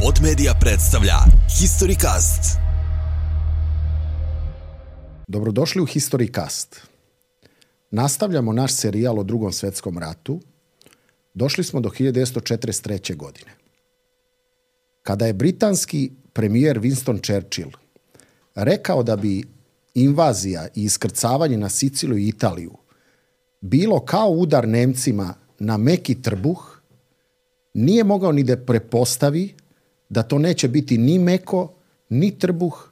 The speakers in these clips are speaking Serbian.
Pod Media predstavlja Historycast. Dobrodošli u Historycast. Nastavljamo naš serijal o Drugom svjetskom ratu. Došli smo do 1943. godine. Kada je britanski premijer Winston Churchill rekao da bi invazija i iskrcavanje na Siciliju i Italiju bilo kao udar Nemcima na meki trbuh, nije mogao ni da prepostavi da to neće biti ni meko, ni trbuh,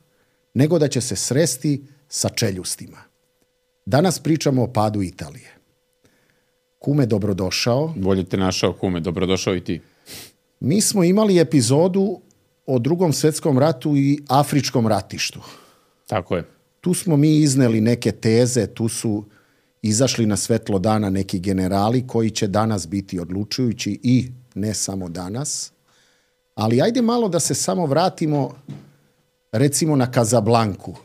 nego da će se sresti sa čeljustima. Danas pričamo o padu Italije. Kume, dobrodošao. Bolje te našao, kume, dobrodošao i ti. Mi smo imali epizodu o Drugom svjetskom ratu i afričkom ratištu. Tako je. Tu smo mi izneli neke teze, tu su izašli na svetlo dana neki generali koji će danas biti odlučujući i ne samo danas. Ali ajde malo da se samo vratimo recimo na Kazablanku.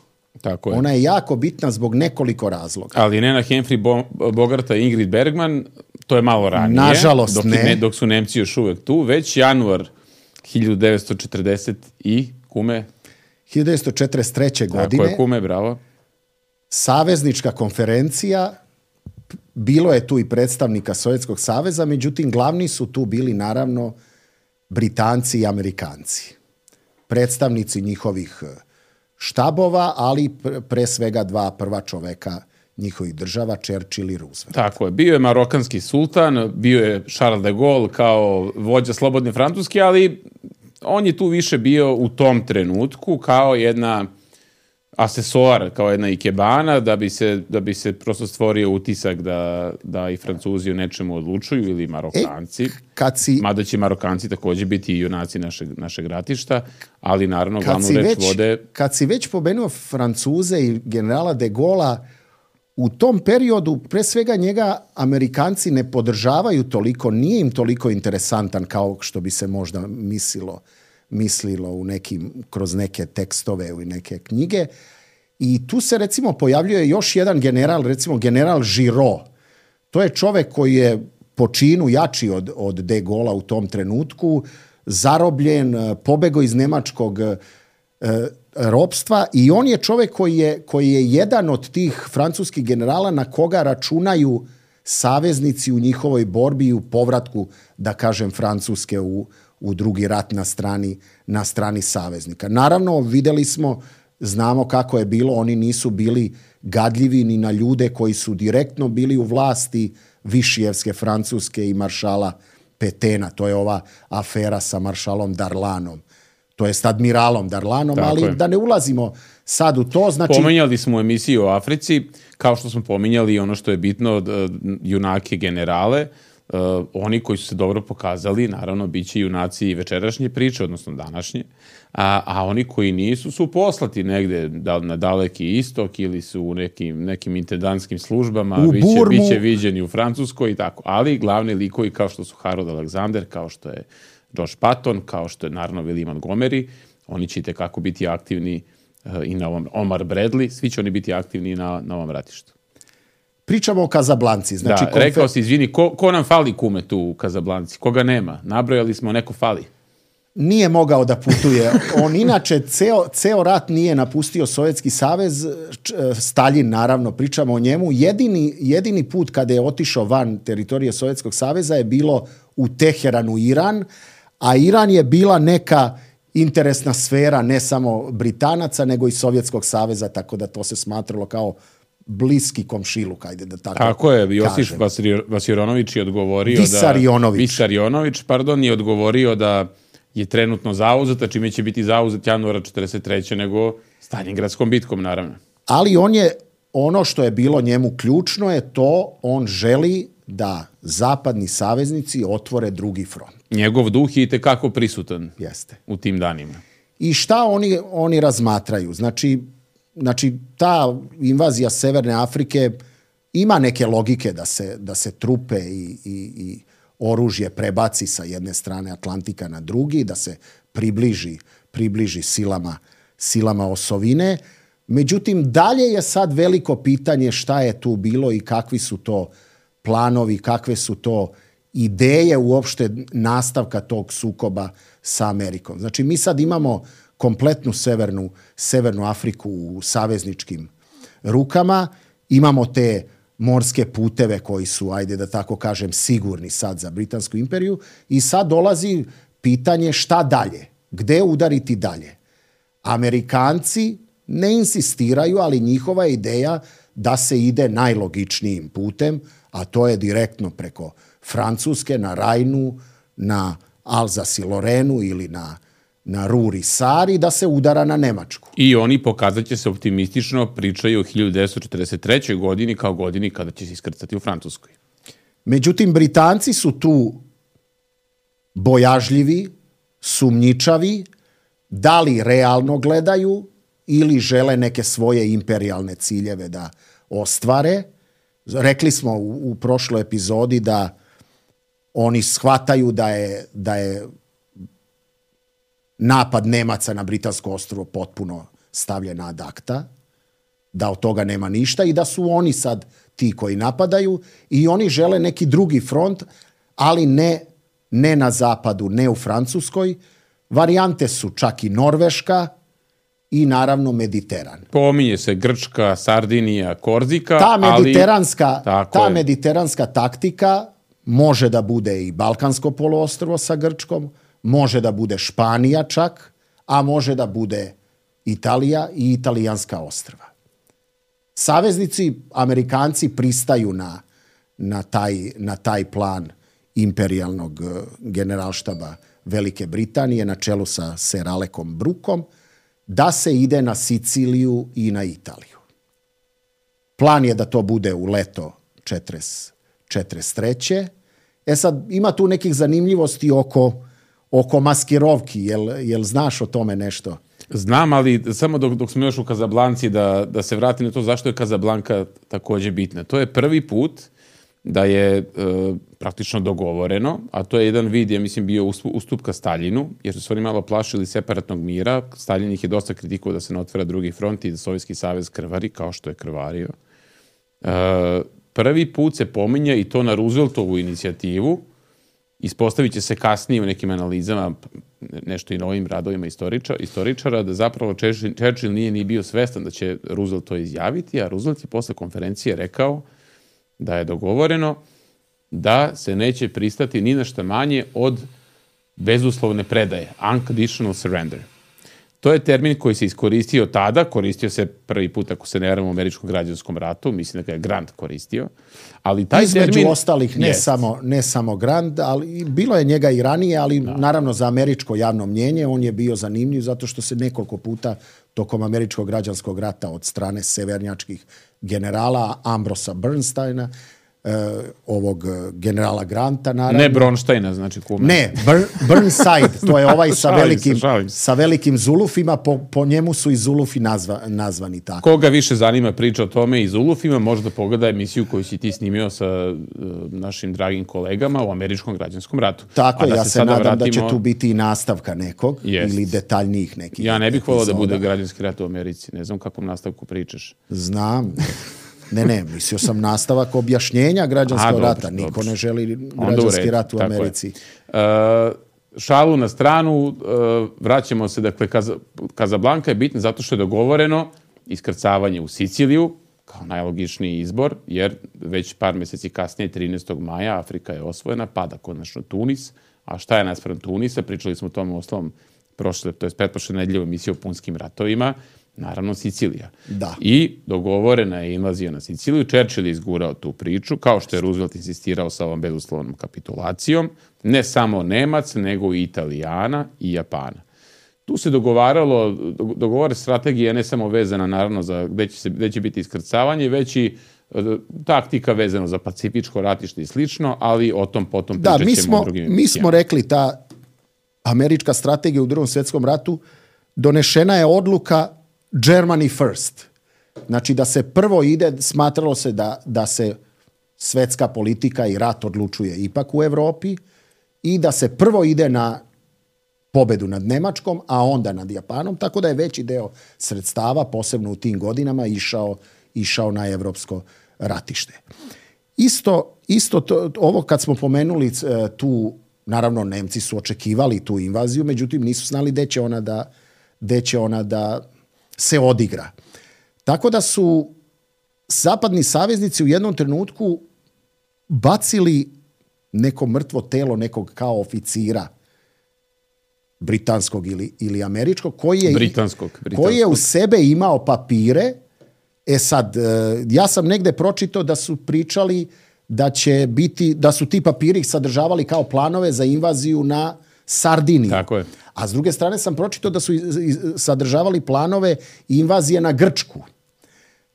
Tako je. Ona je jako bitna zbog nekoliko razloga. Ali ne na Humphrey Bogarta i Ingrid Bergman, to je malo ranije. Nažalost dok su Nemci još uvek tu, već januar 1940 i kume. 1943. godine. Tako je, kume, bravo. Saveznička konferencija, bilo je tu i predstavnika Sovjetskog saveza, međutim glavni su tu bili naravno Britanci i Amerikanci. Predstavnici njihovih štabova, ali pre svega dva prva čoveka njihovih država, Churchill i Roosevelt. Tako je. Bio je marokanski sultan, bio je Charles de Gaulle kao vođa slobodne Francuske, ali on je tu više bio u tom trenutku kao jedna asesor, kao jedna ikebana, da bi se prosto stvorio utisak da i Francuzi o nečemu odlučuju ili Marokanci. Mada će Marokanci također biti i junaci našeg ratišta, ali naravno glavnu reč vode... Kad si već pomenuo Francuze i generala de Gaulle'a, u tom periodu pre svega njega Amerikanci ne podržavaju toliko, nije im toliko interesantan kao što bi se možda mislilo u kroz neke tekstove i neke knjige. I tu se recimo pojavljuje još jedan general, recimo general Giraud. To je čovek koji je po činu jači od de Gaulle'a u tom trenutku, zarobljen, pobegao iz nemačkog ropstva i on je čovek koji je jedan od tih francuskih generala na koga računaju saveznici u njihovoj borbi i u povratku, da kažem, Francuske u drugi rat na strani saveznika. Naravno, videli smo, znamo kako je bilo, oni nisu bili gadljivi ni na ljude koji su direktno bili u vlasti Višijevske Francuske i maršala Petena. To je ova afera sa maršalom Darlanom. To jest admiralom Darlanom, tako ali je. Da ne ulazimo sad u to. Znači... Pominjali smo u emisiji o Africi, kao što smo pominjali ono što je bitno, junake generale. Oni koji su se dobro pokazali, naravno, bit će junaci večerašnje priče, odnosno današnje, a oni koji nisu su poslati negde na daleki istok ili su u nekim intendantskim službama, bit će viđeni u Francuskoj i tako. Ali glavni likovi kao što su Harold Alexander, kao što je George Patton, kao što je naravno William Montgomery, oni će itekako biti aktivni i na ovom Omar Bradley, svi će oni biti aktivni na ovom ratištu. Pričamo o Kazablanci. Znači, rekao si, izvini, ko nam fali, kume, tu u Kazablanci? Koga nema? Nabrojali smo, neko fali. Nije mogao da putuje. On inače ceo rat nije napustio Sovjetski savez. Staljin, naravno, pričamo o njemu. Jedini put kada je otišao van teritorije Sovjetskog saveza je bilo u Teheranu, Iran, a Iran je bila neka interesna sfera ne samo Britanaca, nego i Sovjetskog saveza, tako da to se smatralo kao bliski komšiluk, ajde da tako je, Josif Vissarionović je odgovorio Vissarionović, je odgovorio da je trenutno zauzeta, čime će biti zauzet januara 1943. nego Stalingradskom bitkom, naravno. Ali ono što je bilo njemu ključno je to, on želi da zapadni saveznici otvore drugi front. Njegov duh je itekako prisutan. Jeste. U tim danima. I šta oni razmatraju? Znači, ta invazija Severne Afrike ima neke logike da se trupe i oružje prebaci sa jedne strane Atlantika na drugi, da se približi silama osovine. Međutim, dalje je sad veliko pitanje šta je tu bilo i kakvi su to planovi, kakve su to ideje uopšte nastavka tog sukoba sa Amerikom. Znači, mi sad imamo kompletnu severnu Afriku u savezničkim rukama, imamo te morske puteve koji su, ajde da tako kažem, sigurni sad za Britansku imperiju i sad dolazi pitanje šta dalje, gde udariti dalje. Amerikanci ne insistiraju, ali njihova ideja da se ide najlogičnijim putem, a to je direktno preko Francuske, na Rajnu, na Alzas i Lorenu ili na Rur i Sari, da se udara na Nemačku. I oni, pokazat će se optimistično, pričaju o 1943. godini kao godini kada će se iskrcati u Francuskoj. Međutim, Britanci su tu bojažljivi, sumnjičavi, da li realno gledaju ili žele neke svoje imperijalne ciljeve da ostvare. Rekli smo u prošloj epizodi da oni shvataju da je napad Nemaca na Britansko ostrvo potpuno stavljen ad acta, da od toga nema ništa i da su oni sad ti koji napadaju i oni žele neki drugi front, ali ne na zapadu, ne u Francuskoj. Varijante su čak i Norveška i naravno Mediteran. Pominje se Grčka, Sardinija, Korzika, ta mediteranska taktika može da bude i Balkansko poluostrvo sa Grčkom, može da bude Španija čak, a može da bude Italija i italijanska ostrva. Saveznici, Amerikanci, pristaju na taj plan imperijalnog generalštaba Velike Britanije na čelu sa Sir Alekom Brookom, da se ide na Siciliju i na Italiju. Plan je da to bude u leto 1943. Sad, ima tu nekih zanimljivosti oko maskirovki. Jel znaš o tome nešto? Znam, ali samo dok smo još u Kazablanci da se vratim na to zašto je Kazablanka također bitna. To je prvi put da je praktično dogovoreno, a to je jedan vid, ja mislim, bio ustupka Staljinu, jer su se oni malo plašili separatnog mira. Staljin ih je dosta kritikovao da se ne otvara drugi front i da Sovjetski savez krvari, kao što je krvario. Prvi put se pominja i to na Rooseveltovu inicijativu. Ispostavit će se kasnije u nekim analizama, nešto i novim radovima istoričara, da zapravo Churchill nije ni bio svestan da će Roosevelt to izjaviti, a Roosevelt je posle konferencije rekao da je dogovoreno da se neće pristati ni na šta manje od bezuslovne predaje, unconditional surrender. To je termin koji se iskoristio tada, koristio se prvi put, ako se ne varam, u američkom građanskom ratu, mislim da ga je Grant koristio, ali taj između termin... ostalih, ne samo Grant, ali bilo je njega i ranije, ali naravno za američko javno mnjenje on je bio zanimljiv zato što se nekoliko puta tokom američkog građanskog rata od strane severnjačkih generala Ambrosa Bernsteina, ovog generala Granta, naravno. Ne Bronsteina, znači kume. Ne, Burnside, to je ovaj sa velikim zulufima, po njemu su i zulufi nazvani tako. Koga više zanima priča o tome i zulufima, može da pogleda emisiju koju si ti snimio sa našim dragim kolegama u američkom građanskom ratu. Tako, ja se nadam da će tu biti i nastavka nekog ili detaljnijih nekih. Ja ne bih volao da bude građanski rat u Americi, ne znam kakvom nastavku pričaš. Znam. Ne, mislio sam nastavak objašnjenja građanskog rata. Niko ne želi građanski rat u Americi. Šalu na stranu, vraćamo se, dakle, Kazablanka je bitna zato što je dogovoreno iskrcavanje u Siciliju, kao najlogičniji izbor, jer već par mjeseci kasnije, 13. maja, Afrika je osvojena, pada konačno Tunis. A šta je naspram Tunisa? Pričali smo o tom osnovom pretprošle nedelje u emisiji o punskim ratovima. Naravno, Sicilija. Da. I dogovorena je invazija na Siciliju. Churchill je izgurao tu priču, kao što je Roosevelt insistirao sa ovom bezuslovnom kapitulacijom. Ne samo Nemac, nego i Italijana i Japana. Tu se dogovore strategije ne samo vezana naravno za gde će biti iskrcavanje, već i taktika vezano za pacifičko ratište i slično, ali o tom potom pričat ćemo u drugim emisijama. Mi smo rekli, ta američka strategija u Drugom svjetskom ratu, donešena je odluka Germany first. Znači da se prvo ide, smatralo se da se svetska politika i rat odlučuje ipak u Europi i da se prvo ide na pobedu nad Nemačkom, a onda nad Japanom, tako da je veći deo sredstava, posebno u tim godinama, išao na evropsko ratište. isto ovo kad smo pomenuli tu, naravno Nemci su očekivali tu invaziju, međutim nisu znali gde će ona da se odigra. Tako da su zapadni saveznici u jednom trenutku bacili neko mrtvo telo nekog kao oficira britanskog ili američkog koji je u sebe imao papire. Sad, ja sam negde pročitao da su pričali da su ti papiri sadržavali kao planove za invaziju na Sardiniju. Tako je. A s druge strane sam pročitao da su sadržavali planove invazije na Grčku.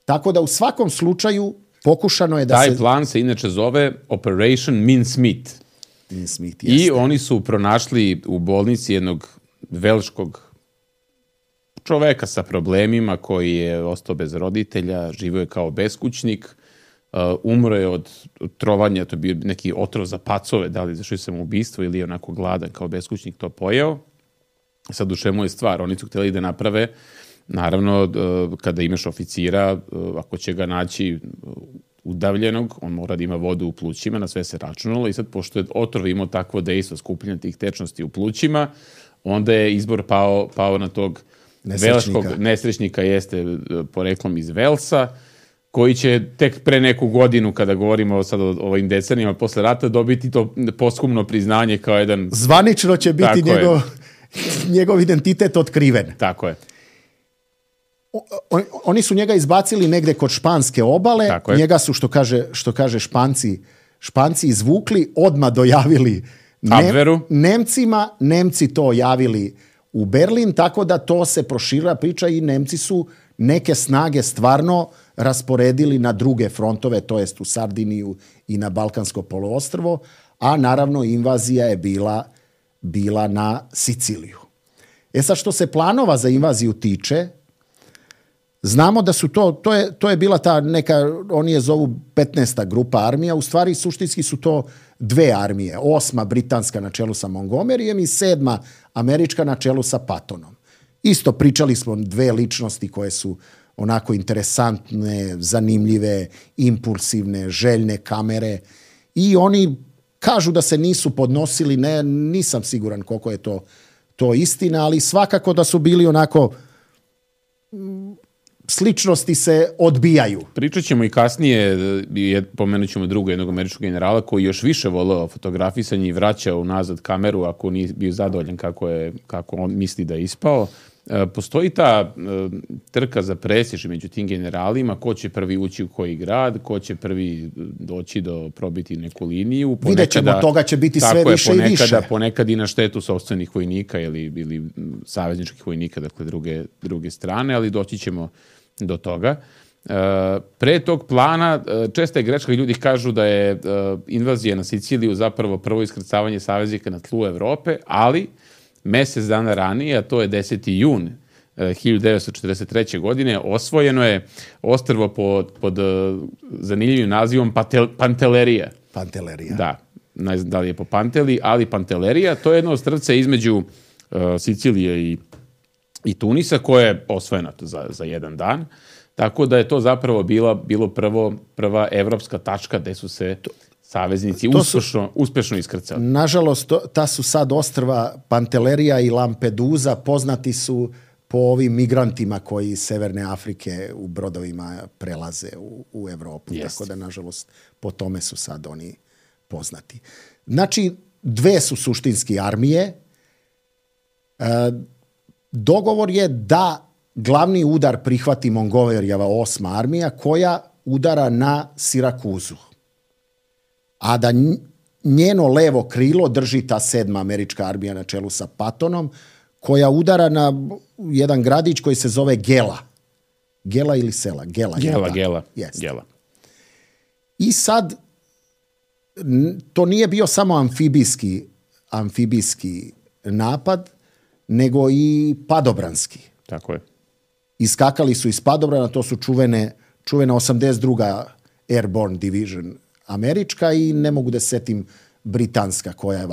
Tako da u svakom slučaju pokušano je da Taj plan se inače zove Operation Mincemeat. Mincemeat, i oni su pronašli u bolnici jednog velškog čoveka sa problemima koji je ostao bez roditelja, živio je kao beskućnik, umro je od trovanja, to je bio neki otrov za pacove, da li zašli sam ubistvo ili je onako gladan kao beskućnik to pojeo. Sad u čemu je stvar? Oni su htjeli da naprave, naravno, kada imaš oficira, ako će ga naći udavljenog, on mora da ima vodu u plućima, na sve se računalo i sad, pošto je otrov imao takvo dejstvo skupljanja tih tečnosti u plućima, onda je izbor pao na tog velškog nesrećnika, jeste poreklom iz Velsa, koji će tek pre neku godinu, kada govorimo sad o ovim decenijama posle rata, dobiti to posthumno priznanje kao jedan... Zvanično će biti njegov identitet otkriven. Tako je. Oni su njega izbacili negde kod španske obale, njega su, što kaže Španci izvukli, odmah dojavili Nemcima, Nemci to javili u Berlin, tako da to se proširila priča i Nemci su neke snage stvarno rasporedili na druge frontove, to jest u Sardiniju i na Balkansko poluostrvo, a naravno invazija je bila na Siciliju. Sad, što se planova za invaziju tiče, znamo da su to je bila ta neka, oni je zovu 15. grupa armija, u stvari suštinski su to dve armije, 8. britanska na čelu sa Montgomeryjem i 7. američka na čelu sa Pattonom. Isto pričali smo dve ličnosti koje su onako interesantne, zanimljive, impulsivne, željne kamere i oni kažu da se nisu podnosili, nisam siguran koliko je to istina, ali svakako da su bili onako... sličnosti se odbijaju. Pričat ćemo i kasnije, pomenut ćemo drugog jednog američkog generala koji još više voleo fotografisanje i vraćao unazad kameru ako nije bio zadovoljan kako on misli da je ispao. Postoji ta trka za prestiž među tim generalima, ko će prvi ući u koji grad, ko će prvi doći probiti neku liniju. Vidjet ćemo, toga će biti sve više i više. Ponekad i na štetu sopstvenih vojnika ili savezničkih vojnika, dakle druge strane, ali doći ćemo do toga. Pre tog plana, česta je greška, ljudi kažu da je invazija na Siciliju zapravo prvo iskrcavanje saveznika na tlu Evrope, ali mesec dana ranije, a to je 10. jun 1943. godine, osvojeno je ostrvo pod zanimljivim nazivom Pantellerija. Pantellerija. Da, ne znam da li je po Panteli, ali Pantellerija, to je jedno ostrvce između Sicilije i Tunisa, koje je osvojeno za jedan dan. Tako da je to zapravo bilo prva evropska tačka gde su se saveznici uspešno iskrcali. Nažalost, ta su sad ostrva Pantellerija i Lampedusa poznati su po ovim migrantima koji iz Severne Afrike u brodovima prelaze u Evropu. Jest. Tako da, nažalost, po tome su sad oni poznati. Znači, dve su suštinski armije. Dogovor je da glavni udar prihvati Montgomeryjeva 8. armija koja udara na Sirakuzu. A da njeno levo krilo drži ta 7. američka armija na čelu sa Pattonom, koja udara na jedan gradić koji se zove Gela. Gela ili sela? Gela. Gela. I sad, to nije bio samo amfibijski napad, nego i padobranski. Tako je. Iskakali su iz padobrana, to su čuvena 82. Airborne Division američka i ne mogu da setim britanska koja je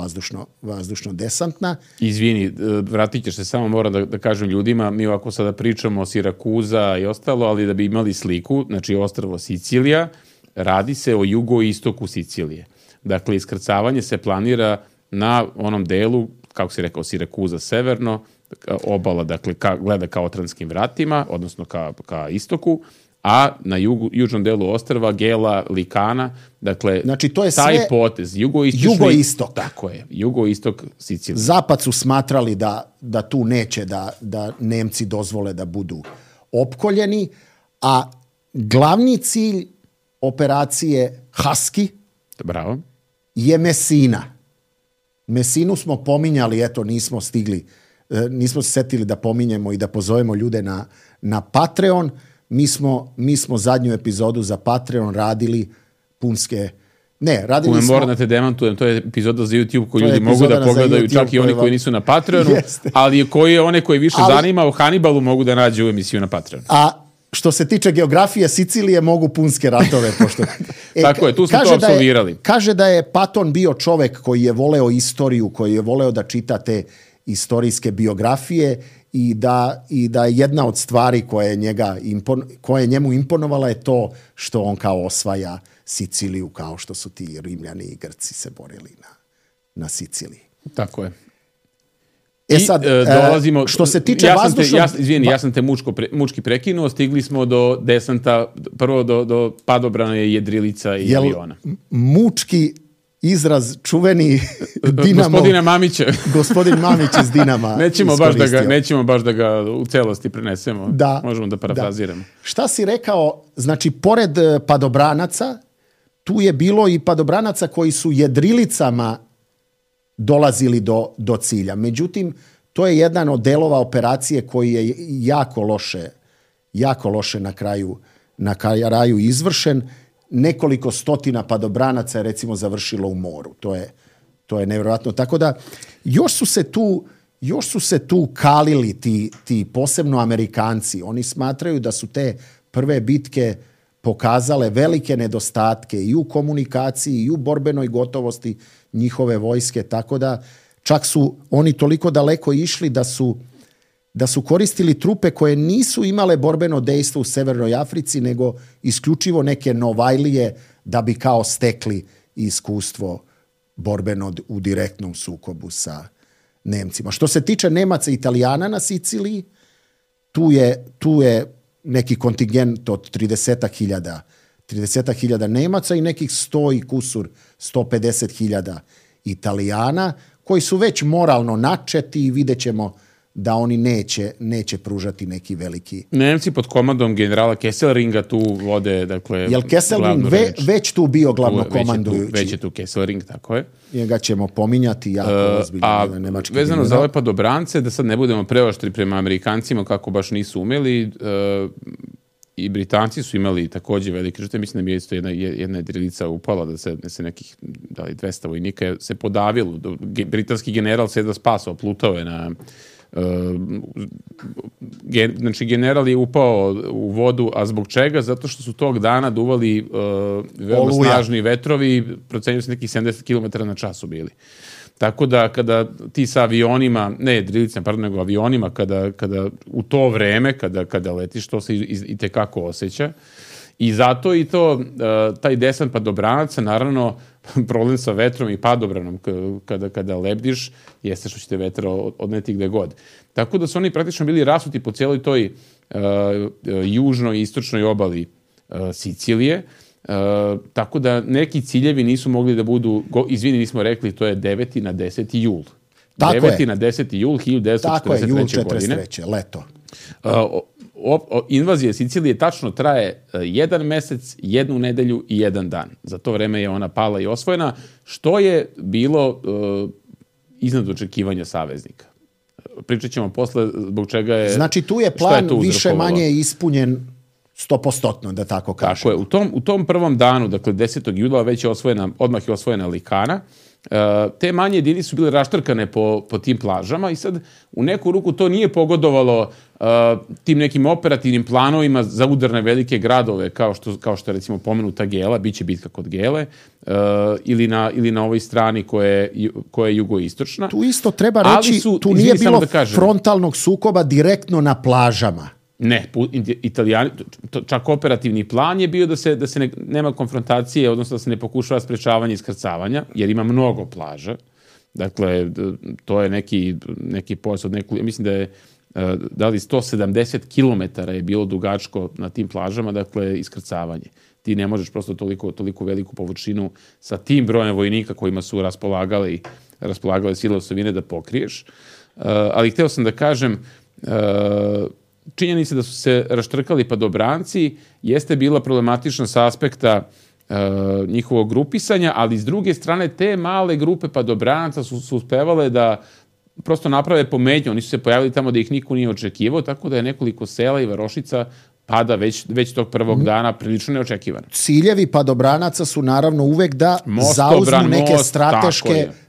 vazdušno desantna. Izvini, vratit ćeš se, samo moram da kažem ljudima, mi ovako sada pričamo o Sirakuza i ostalo, ali da bi imali sliku, znači ostrvo Sicilija, radi se o jugoistoku Sicilije. Dakle, iskrcavanje se planira na onom delu, kako si rekao, Sirakuza severno, obala, dakle, gleda ka Otranskim vratima, odnosno ka istoku, a na južnom delu ostrva Gela, Likana, dakle, znači, to je taj sve potez, jugoistok. Tako je, jugoistok Sicilije. Zapad su smatrali da tu neće da Nemci dozvole da budu opkoljeni, a glavni cilj operacije Husky Bravo. je Messina. Messinu smo pominjali, eto, nismo se setili da pominjemo i da pozovemo ljude na Patreon. Mi smo zadnju epizodu za Patreon radili punske... Ne, radili smo... Moram da te demantujem, to je epizoda za YouTube koju ljudi mogu da pogledaju, čak i oni koji nisu na Patreonu, ali one koji više zanima o Hannibalu mogu da nađu emisiju na Patreonu. A što se tiče geografije Sicilije, mogu punske ratove. Pošto... Tako je, tu smo to apsolvirali. Kaže da je Paton bio čovek koji je voleo istoriju, koji je voleo da čita te istorijske biografije i da jedna od stvari koja je njemu imponovala je to što on kao osvaja Siciliju, kao što su ti Rimljani i Grci se borili na Siciliji. Tako je. Sad, dolazimo, što se tiče vazdušnog... Ja sam te mučki prekinuo, stigli smo do desanta, prvo do padobrane jedrilica i aviona. Mučki izraz čuveni Dinamo... Gospodina Mamića. Gospodin Mamić iz Dinama nećemo baš da ga u celosti prenesemo. Da, možemo da parafraziramo. Šta si rekao, znači, pored padobranaca, tu je bilo i padobranaca koji su jedrilicama dolazili do cilja. Međutim, to je jedan od delova operacije koji je jako loše na kraju izvršen. Nekoliko stotina padobranaca je recimo završilo u moru. To je nevjerojatno. Tako da još su se tu kalili ti posebno Amerikanci. Oni smatraju da su te prve bitke pokazale velike nedostatke i u komunikaciji i u borbenoj gotovosti njihove vojske, tako da čak su oni toliko daleko išli da su koristili trupe koje nisu imale borbeno dejstvo u Severnoj Africi, nego isključivo neke novajlije da bi kao stekli iskustvo borbeno u direktnom sukobu sa Nemcima. Što se tiče Nemaca i Italijana na Siciliji, tu je neki kontingent od 30.000 Nemaca i nekih 100 i kusur, 150.000 Italijana, koji su već moralno načeti i vidjet ćemo da oni neće pružati neki veliki... Nemci pod komandom generala Kesselringa tu vode, dakle... Jel Kesselring već tu bio glavnokomandujući? Već je tu Kesselring, tako je. Njega ćemo pominjati jako ozbiljno. Vezano za ove padobrance, da sad ne budemo preoštri prema Amerikancima kako baš nisu umeli, i Britanci su imali takođe velike žrtve. Mislim da mi je isto jedna jedrilica upala, da se nekih 200 vojnika se podavilo. Britanski general se da spasao, plutao je na... Znači, general je upao u vodu, a zbog čega? Zato što su tog dana duvali veoma snažni vetrovi, procenjuju se nekih 70 km na času bili. Tako da kada ti sa avionima, ne jedrilicama, pardon, nego avionima, kada u to vreme, kada letiš, to se i tekako osjeća. I zato i to, taj desant padobranaca, naravno, problem sa vetrom i padobranom kada lebdiš, jeste što ćete vetra odneti gde god. Tako da su oni praktično bili rasuti po cijeloj toj južnoj i istočnoj obali Sicilije, tako da neki ciljevi nisu mogli da budu, nismo rekli, to je 9. na 10. jul. 9. na 10. jul 1943. godine. Leto. Invazija Sicilije tačno traje 1 mesec, 1 nedelju i 1 dan. Za to vreme je ona pala i osvojena, što je bilo iznad očekivanja saveznika. Pričat ćemo posle zbog čega je... Znači tu je plan više manje ispunjen 100%, da tako kažem. Tako je. U tom prvom danu, dakle 10. jula, odmah je osvojena Likana. Te manje jedinice su bile raštrkane po tim plažama i sad u neku ruku to nije pogodovalo tim nekim operativnim planovima za udar na velike gradove, kao što je recimo pomenuta Gela, bit će bitka kod Gele, ili na ovoj strani koja je jugoistočna. Tu isto treba reći, tu nije bilo frontalnog sukoba direktno na plažama. Ne, Italijani, čak operativni plan je bio da se nema konfrontacije, odnosno da se ne pokušava sprečavanje iskrcavanja, jer ima mnogo plaža. Dakle, to je neki pojas od nekoliko, mislim da je da li 170 km je bilo dugačko na tim plažama, dakle, iskrcavanje. Ti ne možeš prosto toliko veliku površinu sa tim brojem vojnika kojima su raspolagale sile osovine da pokriješ. Ali hteo sam da kažem, činjenica da su se raštrkali padobranci jeste bila problematična sa aspekta njihovog grupisanja, ali s druge strane te male grupe padobranaca su uspevale da prosto naprave pometnju. Oni su se pojavili tamo da ih niko nije očekivao, tako da je nekoliko sela i varošica pada već tog prvog dana prilično neočekivano. Ciljevi padobranaca su naravno uvek da zauzmu neke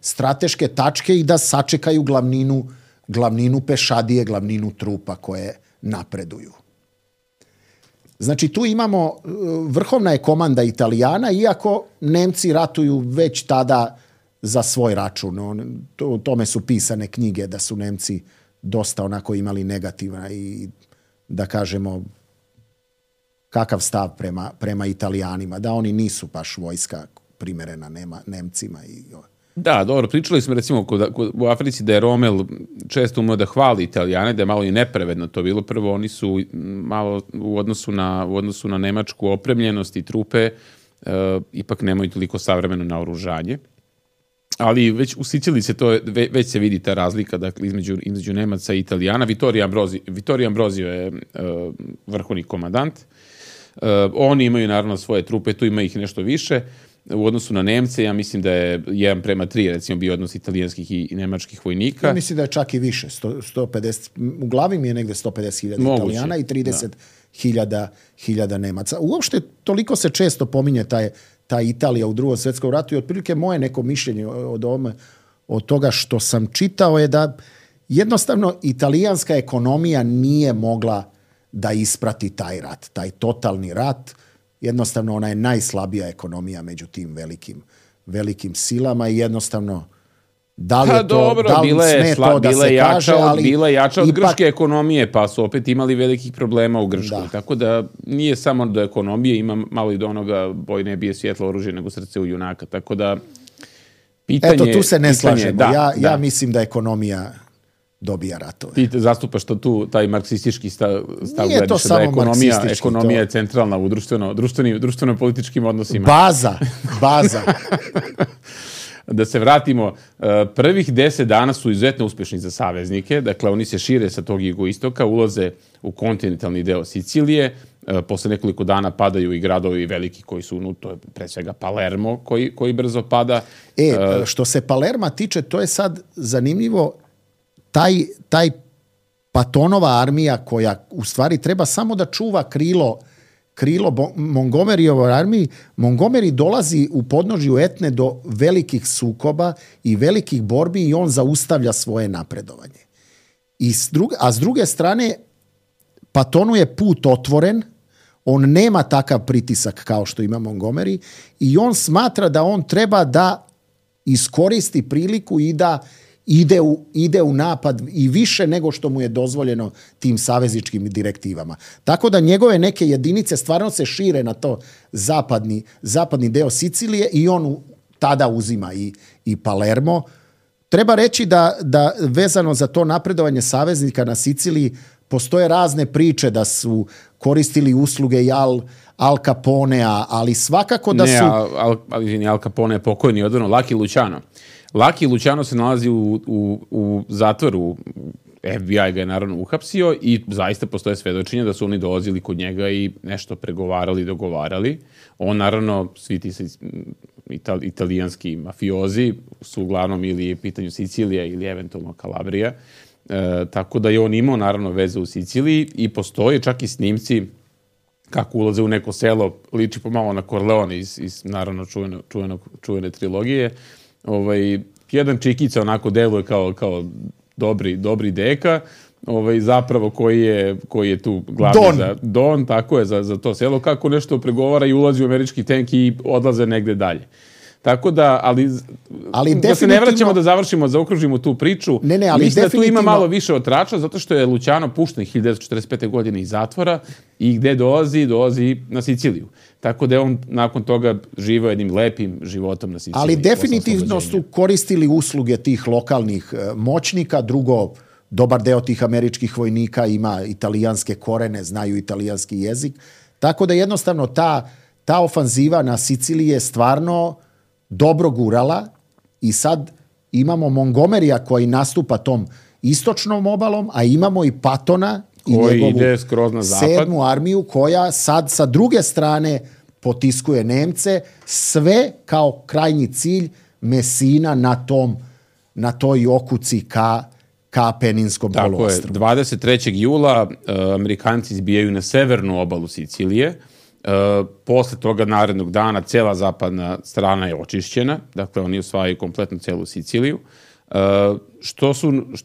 strateške tačke i da sačekaju glavninu pešadije, glavninu trupa koje napreduju. Znači, tu imamo, vrhovna je komanda Italijana, iako Nemci ratuju već tada za svoj račun. O tome su pisane knjige da su Nemci dosta onako imali negativna i, da kažemo, kakav stav prema Italijanima, da oni nisu baš vojska primerena Nemcima. Da, dobro, pričali smo recimo u Africi da je Rommel često umeo da hvali Italijane, da je malo i nepravedno to bilo. Prvo, oni su malo u odnosu na nemačku opremljenost i trupe, ipak nemaju toliko savremeno naoružanje. Ali već u Siciliji već se vidi ta razlika, dakle, između Nemaca i Italijana. Vittorio Ambrosio je vrhovni komandant. Oni imaju naravno svoje trupe, tu ima ih nešto više. U odnosu na Nemce, ja mislim da je 1:3, recimo, bio odnos italijanskih i nemačkih vojnika. Ja mislim da je čak i više, 150, u glavi mi je negde 150.000 Italijana i 30.000 Nemaca. Uopšte, toliko se često pominje ta Italija u Drugom svjetskom ratu i otprilike moje neko mišljenje od toga što sam čitao je da jednostavno italijanska ekonomija nije mogla da isprati taj rat, taj totalni rat. Jednostavno, ona je najslabija ekonomija među tim velikim silama i jednostavno da li je to, da li sme to da se kaže, ali bila je jača od grčke ekonomije, pa su opet imali velikih problema u Grčkoj. Tako da nije samo do ekonomije, ima malo i do onoga boj ne bije svjetlo oružje nego srce u junaka. Tako da pitanje... Eto, tu se ne slažemo. Ja mislim da ekonomija dobija ratove. Ti zastupaš taj marksistički stav nije to samo marksistički. Ekonomija je centralna u društveno-političkim odnosima. Baza. Da se vratimo, prvih 10 dana su izuzetno uspješni za saveznike, dakle oni se šire sa tog jugoistoka, ulaze u kontinentalni deo Sicilije, posle nekoliko dana padaju i gradovi veliki koji su to je pre svega Palermo koji brzo pada. Što se Palerma tiče, to je sad zanimljivo, taj Patonova armija koja u stvari treba samo da čuva krilo Montgomeryjevoj armiji, Montgomery dolazi u podnožju Etne do velikih sukoba i velikih borbi i on zaustavlja svoje napredovanje. A s druge strane, Patonu je put otvoren, on nema takav pritisak kao što ima Montgomery i on smatra da on treba da iskoristi priliku i da ide u napad i više nego što mu je dozvoljeno tim savezničkim direktivama. Tako da njegove neke jedinice stvarno se šire na to zapadni deo Sicilije i on tada uzima i Palermo. Treba reći da vezano za to napredovanje saveznika na Siciliji postoje razne priče da su koristili usluge i Al Caponea, ali svakako da su... Ne, Al Capone je pokojni odvrno, Lucky Luciano se nalazi u zatvoru, FBI ga je naravno uhapsio i zaista postoje svedočenja da su oni dolazili kod njega i nešto pregovarali, dogovarali. On naravno, svi ti italijanski mafiozi su uglavnom ili pitanju Sicilija ili eventualno Kalabrija, tako da je on imao naravno veze u Siciliji i postoje čak i snimci kako ulaze u neko selo, liči pomalo na Corleone iz naravno čuvene trilogije. Jedan čikica onako deluje kao dobri deka, zapravo koji je tu glavni Don, tako je za to selo, kako nešto pregovara i ulazi u američki tank i odlaze negde dalje. Tako da, ali da se ne vraćamo da zaokružimo tu priču. Ali mislim da tu ima malo više otrača, zato što je Luciano pušten 1945. godine iz zatvora i gde dolazi na Siciliju. Tako da je on nakon toga živao jednim lepim životom na Siciliji. Ali definitivno su koristili usluge tih lokalnih moćnika. Drugo, dobar deo tih američkih vojnika ima italijanske korene, znaju italijanski jezik. Tako da jednostavno ta ofanziva na Siciliji je stvarno dobro gurala i sad imamo Montgomerya koji nastupa tom istočnom obalom, a imamo i Pattona i njegovu 7. armiju koja sad sa druge strane potiskuje Nemce, sve kao krajnji cilj Messina na toj okuci ka Apeninskom poluostrvu. Tako je, 23. jula Amerikanci izbijaju na severnu obalu Sicilije. Posle toga narednog dana cela zapadna strana je očišćena, dakle oni osvajaju kompletno celu Siciliju.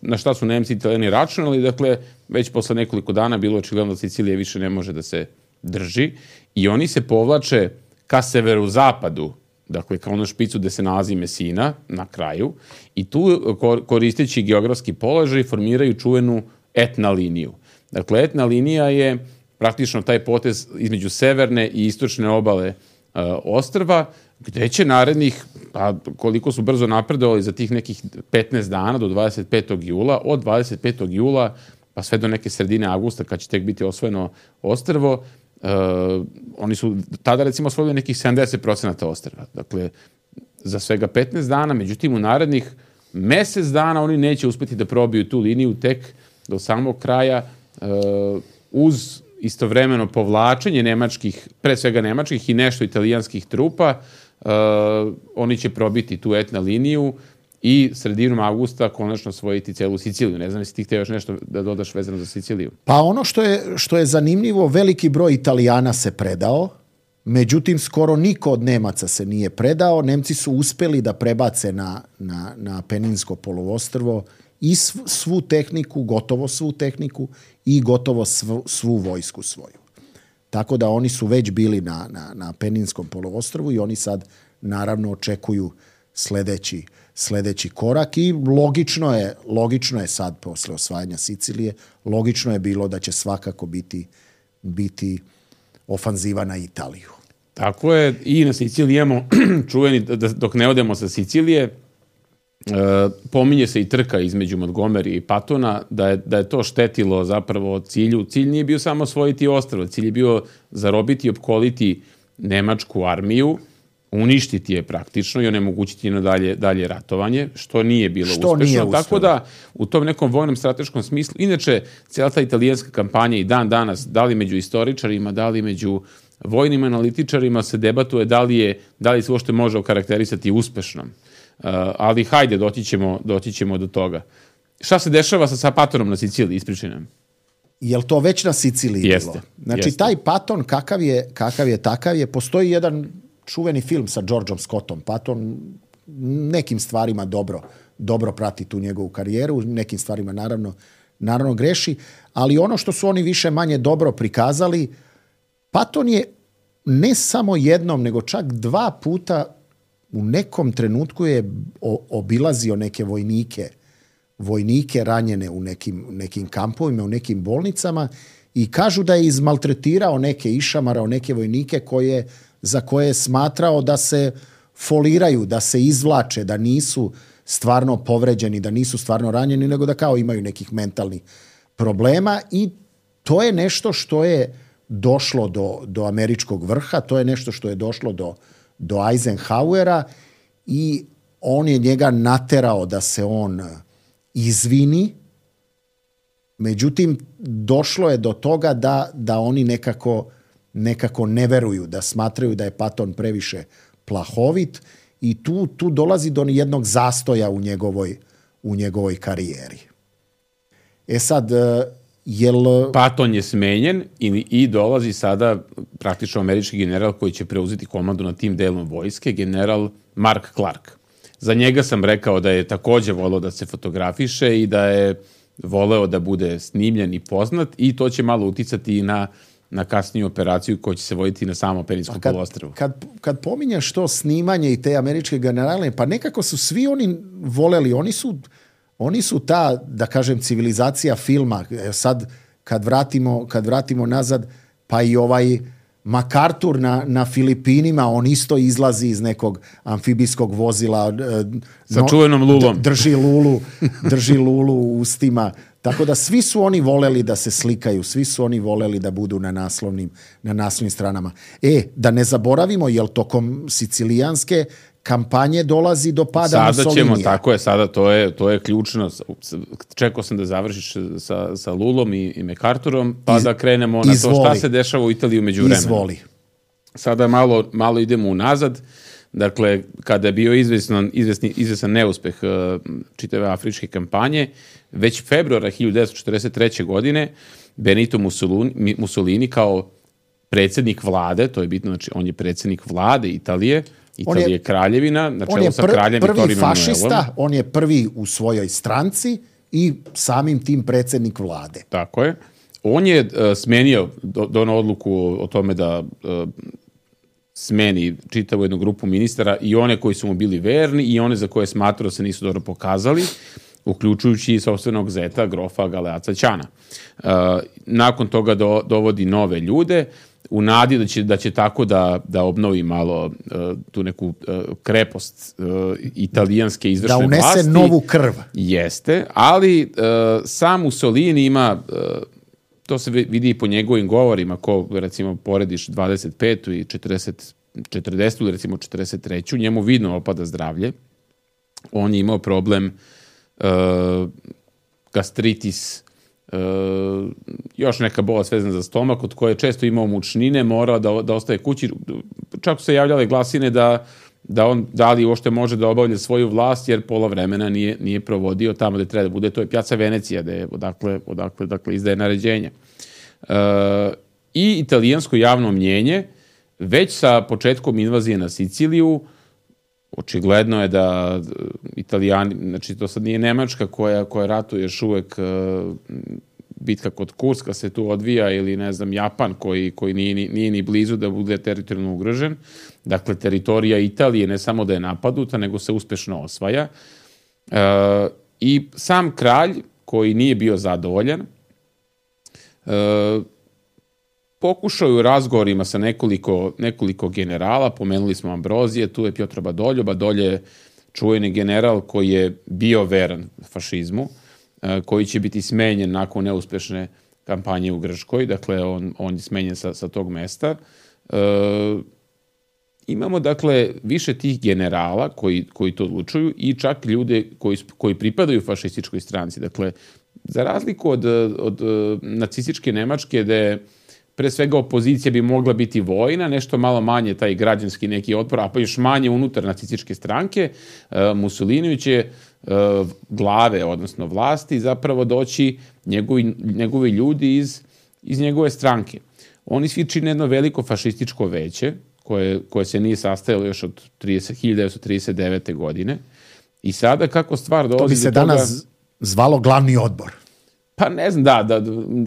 Na šta su Nemci i Italijani računali, dakle već posle nekoliko dana bilo očigledno da Sicilija više ne može da se drži i oni se povlače ka severozapadu, dakle kao ono špicu gde se nalazi Messina na kraju i tu koristeći geografski položaj formiraju čuvenu Etna liniju. Dakle, Etna linija je praktično taj potez između severne i istočne obale ostrva, gde će narednih, pa koliko su brzo napredovali za tih nekih 15 dana do 25. jula, od 25. jula pa sve do neke sredine avgusta kad će tek biti osvojeno ostrvo, oni su tada recimo osvojili nekih 70% ostrva. Dakle, za svega 15 dana, međutim u narednih mesec dana oni neće uspeti da probiju tu liniju tek do samog kraja uz istovremeno povlačenje nemačkih, pre svega nemačkih i nešto italijanskih trupa, oni će probiti tu Etna liniju i sredinom avgusta konačno osvojiti celu Siciliju. Ne znam jesi ti htio još nešto da dodaš vezano za Siciliju. Pa ono što je zanimljivo, veliki broj Italijana se predao, međutim skoro niko od Nemaca se nije predao. Nemci su uspeli da prebace na Apeninsko poluostrvo i svu tehniku, gotovo svu tehniku i gotovo svu vojsku svoju. Tako da oni su već bili na Apeninskom poluostrvu i oni sad naravno očekuju sledeći korak i logično je sad posle osvajanja Sicilije, logično je bilo da će svakako biti ofanziva na Italiju. Tako je, i na Siciliji imamo čuveni, dok ne odemo sa Sicilije, pominje se i trka između Montgomery i Pattona, da je to štetilo zapravo cilju. Cilj nije bio samo osvojiti ostrvo, cilj je bio zarobiti i opkoliti nemačku armiju, uništiti je praktično i onemogućiti na dalje ratovanje, što nije bilo uspešno. Tako da u tom nekom vojnom strateškom smislu, inače cijela ta italijanska kampanja i dan danas, da li među istoričarima, da li među vojnim analitičarima se debatuje da li se uopšte može okarakterisati uspešnom. Ali hajde, doći ćemo do toga. Šta se dešava sa Pattonom na Siciliji? Ispričaj nam. Je li to već na Siciliji bilo? Znači, taj Patton, kakav je takav je, postoji jedan čuveni film sa Georgeom Scottom. Patton nekim stvarima dobro prati tu njegovu karijeru, nekim stvarima naravno greši, ali ono što su oni više manje dobro prikazali, Patton je ne samo jednom, nego čak 2 puta u nekom trenutku je obilazio neke vojnike ranjene u nekim kampovima, u nekim bolnicama i kažu da je izmaltretirao neke, išamarao neke vojnike za koje je smatrao da se foliraju, da se izvlače, da nisu stvarno povređeni, da nisu stvarno ranjeni, nego da kao imaju nekih mentalnih problema i to je nešto što je došlo do američkog vrha, to je nešto što je došlo do Eisenhowera i on je njega naterao da se on izvini. Međutim, došlo je do toga da oni nekako ne veruju, da smatraju da je Patton previše plahovit i tu dolazi do jednog zastoja u njegovoj karijeri. Sad, Patton je smenjen i dolazi sada praktično američki general koji će preuzeti komandu nad tim delom vojske, general Mark Clark. Za njega sam rekao da je takođe voleo da se fotografiše i da je voleo da bude snimljen i poznat i to će malo uticati i na na kasniju operaciju koja će se voditi na samom Apeninskom poluostrvu. Kad pominješ to snimanje i te američke generale, pa nekako su svi oni voleli, oni su ta, da kažem, civilizacija filma. Sad, kad vratimo nazad, pa i ovaj MacArthur na Filipinima, on isto izlazi iz nekog amfibijskog vozila. Sa čuvenom lulom. Drži lulu u ustima. Tako da svi su oni voleli da se slikaju, svi su oni voleli da budu na naslovnim stranama. Da ne zaboravimo, jel tokom sicilijanske kampanje dolazi do pada Mussolinija. Tako je, sada to je ključno. Čekao sam da završiš sa Lulom i MacArthurom, pa da krenemo na to šta se dešava u Italiji umeđu vremena. Izvoli. Sada malo idemo unazad. Dakle, kada je bio izvestan neuspeh čitave afričke kampanje, već februara 1943. godine Benito Mussolini kao predsjednik vlade, to je bitno, znači on je predsjednik vlade Italije je kraljevina, na čelu sa kraljem Vittorio Emanuelom. On je prvi fašista, on je prvi u svojoj stranci i samim tim predsjednik vlade. Tako je. On je smenio, donao odluku o tome da smeni čitavu jednu grupu ministara i one koji su mu bili verni i one za koje smatrao se nisu dobro pokazali, uključujući i sopstvenog zeta, grofa Galeazza Ciana. Nakon toga dovodi nove ljude, u nadi da će tako da obnovi malo tu neku krepost italijanske izvršne vlasti. Da unese novu krv. Jeste, ali sam Mussolini ima, to se vidi i po njegovim govorima, ko recimo porediš 25. i 40. ili recimo 43. njemu vidno opada zdravlje. On je imao problem gastritis, još neka bolest vezana za stomak, od koje je često imao mučnine, morao da ostaje kući. Čak su se javljale glasine da li uopšte može da obavlja svoju vlast, jer pola vremena nije provodio tamo gde treba da bude. To je Piazza Venecija, odakle izdaje naređenja. I italijansko javno mnjenje, već sa početkom invazije na Siciliju, očigledno je da Italijani, znači to sad nije Nemačka koja ratuje još uvek, bitka kod Kurska se tu odvija, ili ne znam, Japan koji nije ni blizu da bude teritorijalno ugrožen. Dakle, teritorija Italije ne samo da je napadnuta, nego se uspešno osvaja. I sam kralj, koji nije bio zadovoljan, pokušao je u razgovorima sa nekoliko generala, pomenuli smo Ambrozije, tu je Pietro Badoglio. Badoglio je čuveni general koji je bio veran fašizmu, koji će biti smenjen nakon neuspešne kampanje u Grčkoj, dakle on je smenjen sa tog mesta. Imamo dakle više tih generala koji to odlučuju i čak ljude koji pripadaju fašističkoj stranci. Dakle, za razliku od nacističke Nemačke, gde pre svega opozicija bi mogla biti vojna, nešto malo manje taj građanski neki otpor, a pa još manje unutar nacističke stranke, Mussolini će glave, odnosno vlasti, zapravo doći njegovi ljudi iz njegove stranke. Oni svi čine jedno veliko fašističko veće, koje se nije sastajalo još od 1939. godine. I sada kako stvar dolazi do toga... To bi se danas zvalo glavni odbor. Pa ne znam, da.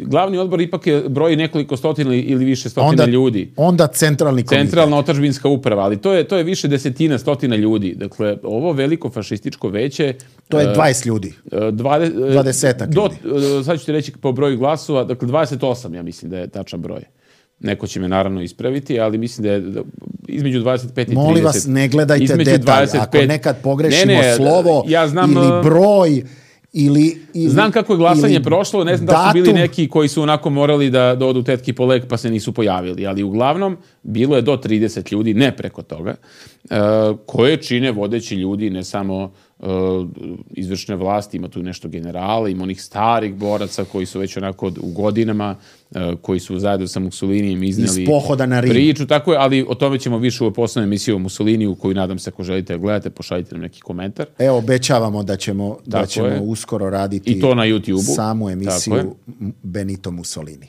Glavni odbor ipak broji nekoliko stotina ili više stotina ljudi. Onda centralni komitet. Centralna otadžbinska uprava, ali to je više desetina, stotina ljudi. Dakle, ovo veliko fašističko veće... To je 20 ljudi. 20 ljudi. Sad ću ti reći po broju glasova, dakle 28, ja mislim da je tačan broj. Neko će me naravno ispraviti, ali mislim da je između 25 i 30. Molim vas, ne gledajte detalj. Ako nekad pogrešimo slovo ili broj... Znam kako je glasanje prošlo, ne znam da su bili neki koji su onako morali da odu tetki po lek pa se nisu pojavili, ali uglavnom bilo je do 30 ljudi, ne preko toga, koje čine vodeći ljudi, ne samo izvršne vlasti, ima tu nešto generala, ima onih starih boraca koji su već onako u godinama, koji su zajedno sa Mussolinijem izneli priču, tako je, ali o tome ćemo više u poslednjoj emisiji o Mussoliniju, koju nadam se ako želite gledate, pošaljite nam neki komentar. Evo, obećavamo da ćemo uskoro raditi i to na YouTubeu. Samu emisiju Benito Mussolini.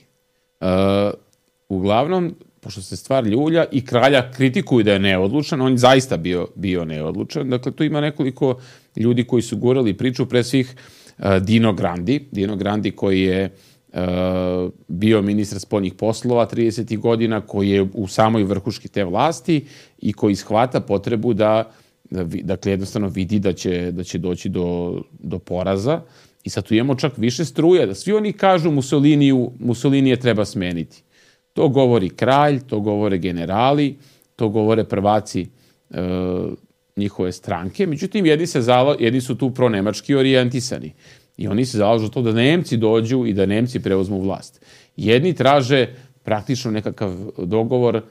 Uglavnom, pošto se stvar ljulja i kralja kritikuju da je neodlučan, on je zaista bio neodlučan. Dakle, tu ima nekoliko ljudi koji su gurali priču, pre svih Dino Grandi koji je bio ministar spoljnih poslova 30. godina, koji je u samoj vrhuški te vlasti i koji shvata potrebu da dakle, jednostavno vidi da će doći do poraza. I sad tu imamo čak više struje, da svi oni kažu Mussolinije treba smeniti. To govori kralj, to govore generali, to govore prvaci njihove stranke. Međutim, jedni su tu pronemački orijentisani. I oni se zalažu to da Nemci dođu i da Nemci preuzmu vlast. Jedni traže praktično nekakav dogovor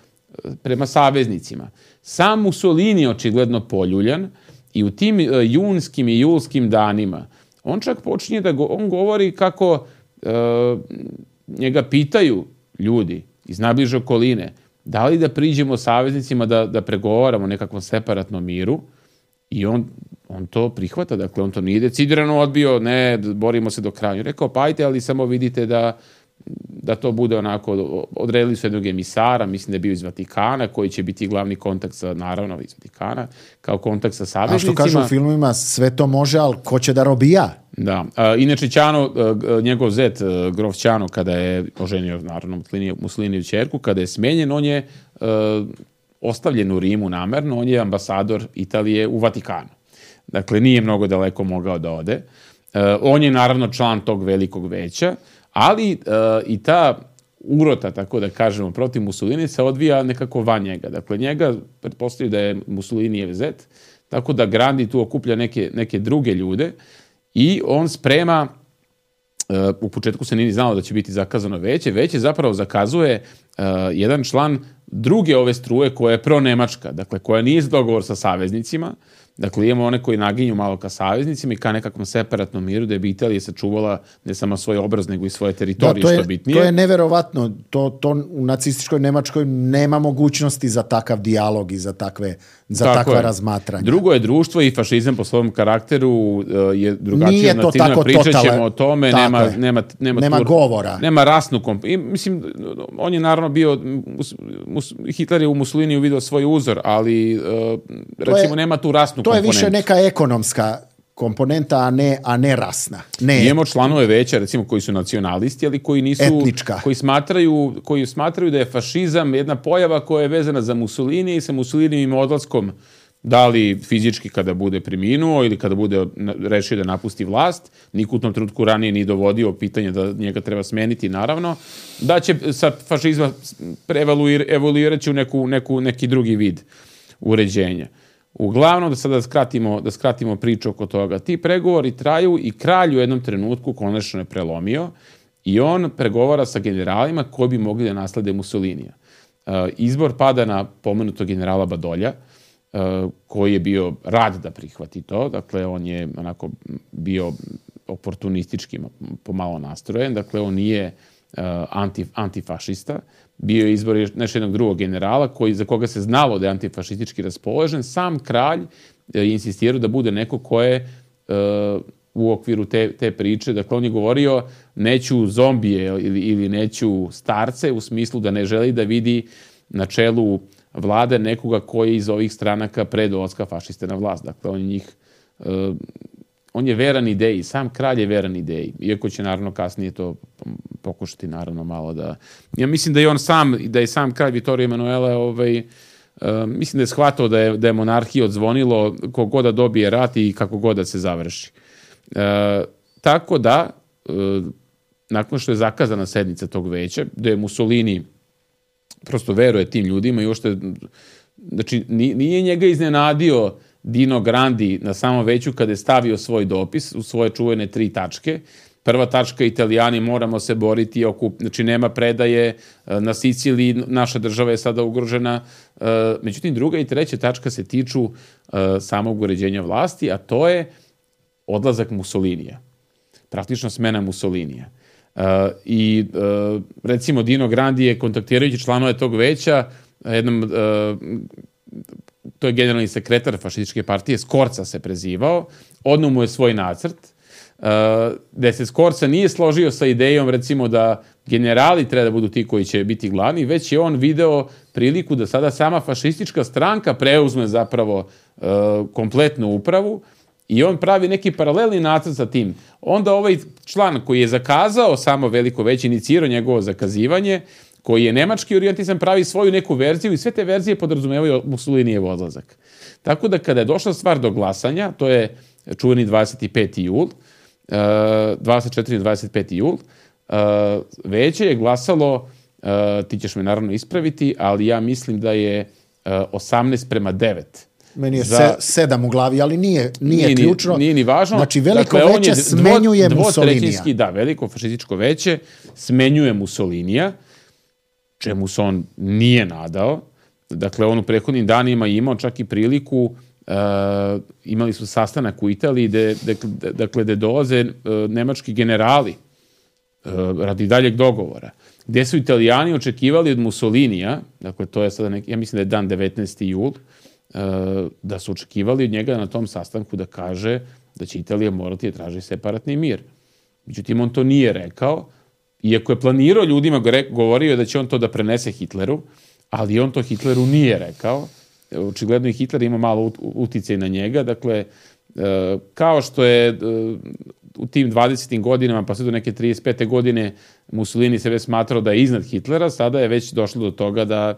prema saveznicima. Sam Mussolini je očigledno poljuljan i u tim junskim i julskim danima on čak počinje on govori kako njega pitaju ljudi iz najbliže okoline da li da priđemo saveznicima da pregovaramo o nekakvom separatnom miru i on to prihvata, dakle on to nije decidirano odbio, ne, borimo se do kraja. On rekao, pa ajte, ali samo vidite da to bude onako, odredili su jednog emisara, mislim da je bio iz Vatikana, koji će biti glavni kontakt naravno iz Vatikana, kao kontakt sa saveznicima. A što kažu u filmovima, sve to može, ali ko će da robija? Da. Inače, Ćano, njegov zet, grof Ćano, kada je oženio, naravno, Mussoliniju ćerku, kada je smenjen, on je ostavljen u Rimu namerno, on je ambasador Italije u Vatikanu. Dakle, nije mnogo daleko mogao da ode. On je, naravno, član tog velikog veća, ali i ta urota, tako da kažemo, protiv Mussolini se odvija nekako van njega. Dakle, njega pretpostavljaju da je Mussolinijev zet, tako da Grandi tu okuplja neke druge ljude i on sprema, u početku se nije znalo da će biti zakazano veće zapravo zakazuje jedan član druge ove struje koja je pronemačka, dakle koja nije za dogovor sa saveznicima. Dakle, imamo one koji naginju malo ka saveznicima i ka nekakvom separatnom miru, da bi Italija sačuvala ne samo svoj obraz, nego i svoje teritorije, što bitnije. To je neverovatno. To u nacističkoj Nemačkoj nema mogućnosti za takav dijalog i za takva razmatranja. Drugo je društvo i fašizam po svom karakteru je drugačije. Pričat ćemo o tome, nema govora. Nema rasnu mislim, on je naravno bio, Hitler je u Mussoliniju vidio svoj uzor, ali recimo nema tu rasnu komponentu. To je više neka ekonomska komponenta, a ne rasna. Imamo članove veća, recimo, koji su nacionalisti, ali koji nisu... Etnička. Koji smatraju da je fašizam jedna pojava koja je vezana za Mussolini i sa Mussolinijim odlaskom, da li fizički kada bude preminuo ili kada bude rešio da napusti vlast, niko u tom trenutku ranije ni dovodio pitanje da njega treba smeniti, naravno, da će sa fašizma evoluirati u neki drugi vid uređenja. Uglavnom, da sada da skratimo priču oko toga. Ti pregovori traju i kralj u jednom trenutku konačno je prelomio i on pregovara sa generalima koji bi mogli da naslede Mussolinija. Izbor pada na pomenutog generala Badolja, koji je bio rad da prihvati to. Dakle, on je onako bio oportunistički pomalo nastrojen. Dakle, on nije antifašista. Bio je izbor još jednog drugog generala za koga se znalo da je antifašistički raspoložen. Sam kralj je insistirao da bude neko ko je u okviru te priče. Dakle, on je govorio neću zombije ili neću starce, u smislu da ne želi da vidi na čelu vlade nekoga koji je iz ovih stranaka pre dolaska fašiste na vlast. Dakle, on je veran ideji, sam kralj je veran ideji, iako će naravno kasnije to pokušati naravno malo da... Ja mislim da je sam kralj Vittorio Emanuele, mislim da je shvatao da je monarhija odzvonilo kogod da dobije rat i kako god da se završi. Tako da, nakon što je zakazana sednica tog veća, da je Mussolini prosto veruje tim ljudima i uopšte, znači, nije njega iznenadio Dino Grandi na samom veću kada je stavio svoj dopis u svoje čuvene 3 tačke. Prva tačka, Italijani moramo se boriti, znači nema predaje, na Siciliji naša država je sada ugrožena. Međutim, druga i treća tačka se tiču samog uređenja vlasti, a to je odlazak Mussolinija. Praktično smena Mussolinija. I recimo Dino Grandi je kontaktirajući članove tog veća jednom... to je generalni sekretar fašističke partije, Skorca se prezivao, odno mu je svoj nacrt, gde se Skorca nije složio sa idejom, recimo, da generali treba da budu ti koji će biti glavni, već je on video priliku da sada sama fašistička stranka preuzme zapravo kompletnu upravu i on pravi neki paralelni nacrt sa tim. Onda ovaj član koji je zakazao samo Veliko veće, inicirao njegovo zakazivanje, koji je nemački orijentisan, pravi svoju neku verziju i sve te verzije podrazumevaju Mussolinijev odlazak. Tako da kada je došla stvar do glasanja, to je čuveni 24. jul, i 25. jul, veće je glasalo, ti ćeš me naravno ispraviti, ali ja mislim da je 18:9. Meni je 7 u glavi, ali nije ključno. Nije ni važno. Znači, Veliko veće smenjuje Mussolinija. Da, Veliko fašističko veće smenjuje Mussolinija, čemu se on nije nadao. Dakle, on u prethodnim danima imao čak i priliku, imali su sastanak u Italiji gde dolaze nemački generali radi daljeg dogovora, gde su Italijani očekivali od Mussolinija, dakle to je sada ja mislim da je dan 19. jul, da su očekivali od njega na tom sastanku da kaže da će Italija morati da traži separatni mir. Međutim, on to nije rekao, iako je planirao ljudima, govorio da će on to da prenese Hitleru, ali on to Hitleru nije rekao. Očigledno i Hitler ima malo uticaj na njega. Dakle, kao što je u tim 20. godinama, pa sve do neke 35. godine, Mussolini sebe smatrao da je iznad Hitlera, sada je već došlo do toga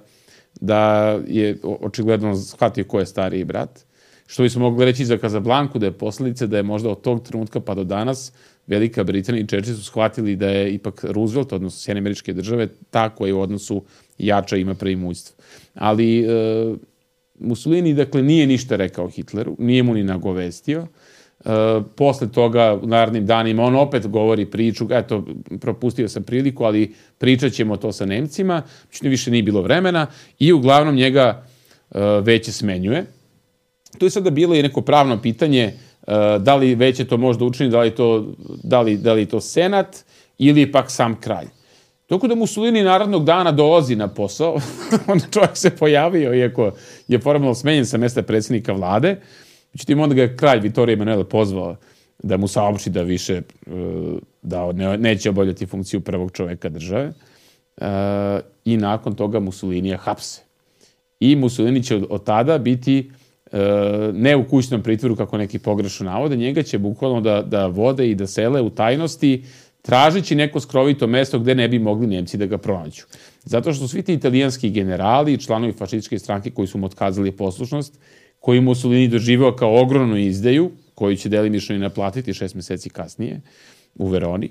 da je očigledno shvatio ko je stariji brat. Što bismo mogli reći za Kazablanku, da je posledica da je možda od tog trenutka pa do danas Velika Britanija i Churchill su shvatili da je ipak Roosevelt, odnosno Sjedinjene Američke Države, ta koja u odnosu jača ima preimujstvo. Ali Mussolini, dakle, nije ništa rekao Hitleru, nije mu ni nagovestio. Posle toga, u narednim danima, on opet govori priču, eto, propustio sam priliku, ali pričat ćemo to sa Nemcima, više nije bilo vremena i uglavnom njega veće smenjuje. Tu je sada bilo i neko pravno pitanje da li veće to može da učini, da li to senat ili pak sam kralj. Dok da Mussolini narednog dana dolazi na posao, onda čovjek se pojavio, iako je formalno smenjen sa mesta predsjednika vlade. Međutim, onda ga je kralj Vittorio Emanuele pozvao da mu saopšti da više da neće obavljati funkciju prvog čovjeka države. I nakon toga Mussolinija hapse. I Mussolini će od tada biti ne u kućnom pritvoru, kako neki pogrešno navode, njega će bukvalno da vode i da sele u tajnosti, tražići neko skrovito mesto gde ne bi mogli Nemci da ga pronađu. Zato što svi ti italijanski generali i članovi fašističke stranke koji su mu otkazali poslušnost, koji Mussolini doživao kao ogromnu izdaju, koju će delimično i naplatiti 6 meseci kasnije u Veroni,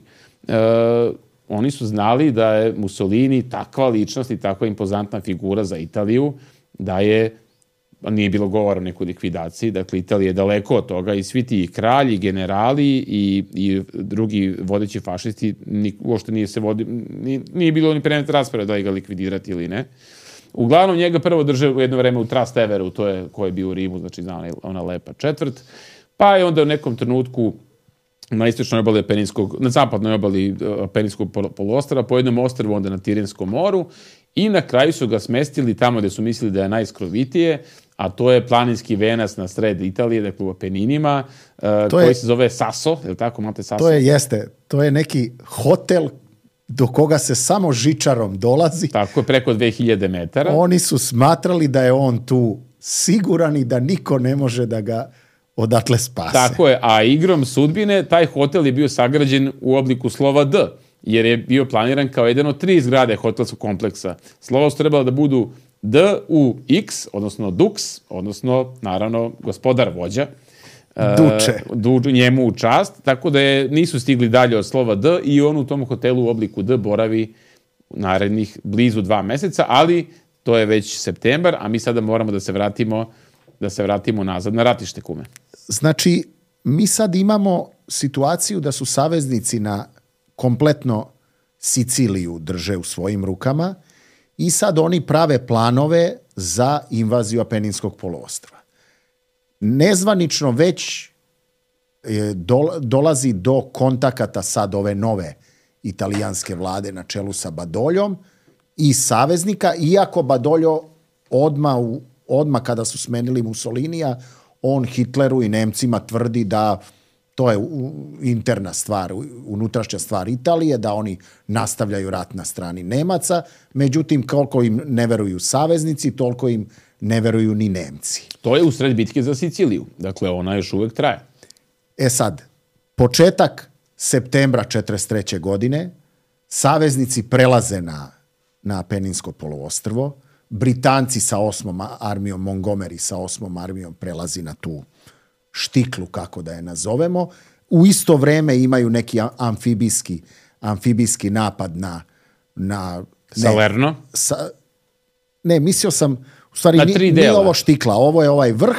oni su znali da je Mussolini takva ličnost i takva impozantna figura za Italiju, da nije bilo govora o nekoj likvidaciji, dakle Italija je daleko od toga i svi ti kralji, generali i drugi vodeći fašisti uopšte nije bilo ni predmet rasprave da li ga likvidirati ili ne. Uglavnom njega prvo drže u jedno vreme u Trasteveru, to je ko je bio u Rimu, znači ona lepa četvrt, pa je onda u nekom trenutku na istočnoj obali na zapadnoj obali Apeninskog poluostrva, po jednom ostrvu onda na Tirinskom moru i na kraju su ga smestili tamo gde su mislili da je najskrovitije, a to je planinski venac na sred Italije, dakle u Apeninima, koji se zove Sasso, je li tako, imate Sasso? To je neki hotel do koga se samo žičarom dolazi. Tako je, preko 2000 metara. Oni su smatrali da je on tu siguran i da niko ne može da ga odatle spase. Tako je, a igrom sudbine taj hotel je bio sagrađen u obliku slova D, jer je bio planiran kao jedan od 3 zgrade hotelskog kompleksa. Slova su trebala da budu D u X, odnosno Dux, odnosno, naravno, gospodar vođa. Duče. Njemu u čast, tako da nisu stigli dalje od slova D i on u tom hotelu u obliku D boravi narednih blizu 2 meseca, ali to je već septembar, a mi sada moramo da se vratimo nazad na ratište, kume. Znači, mi sad imamo situaciju da su saveznici na kompletno Siciliju drže u svojim rukama i sad oni prave planove za invaziju Apeninskog poluostrva. Nezvanično već dolazi do kontakata sad ove nove italijanske vlade na čelu sa Badoljom i saveznika, iako Badoljo odmah kada su smenili Mussolinija, on Hitleru i Nemcima tvrdi da to je interna stvar, unutrašnja stvar Italije, da oni nastavljaju rat na strani Nemaca, međutim koliko im ne veruju saveznici, toliko im ne veruju ni Nemci. To je usred bitke za Siciliju, dakle ona još uvek traje. Sad, početak septembra 1943. godine, saveznici prelaze na Apeninsko poluostrvo, Britanci sa 8. armijom, Montgomery sa 8. armijom prelazi na tu štiklu, kako da je nazovemo. U isto vreme imaju neki amfibijski napad na Salerno? Mislio sam, u stvari na 3 nije ovo štikla, ovo je ovaj vrh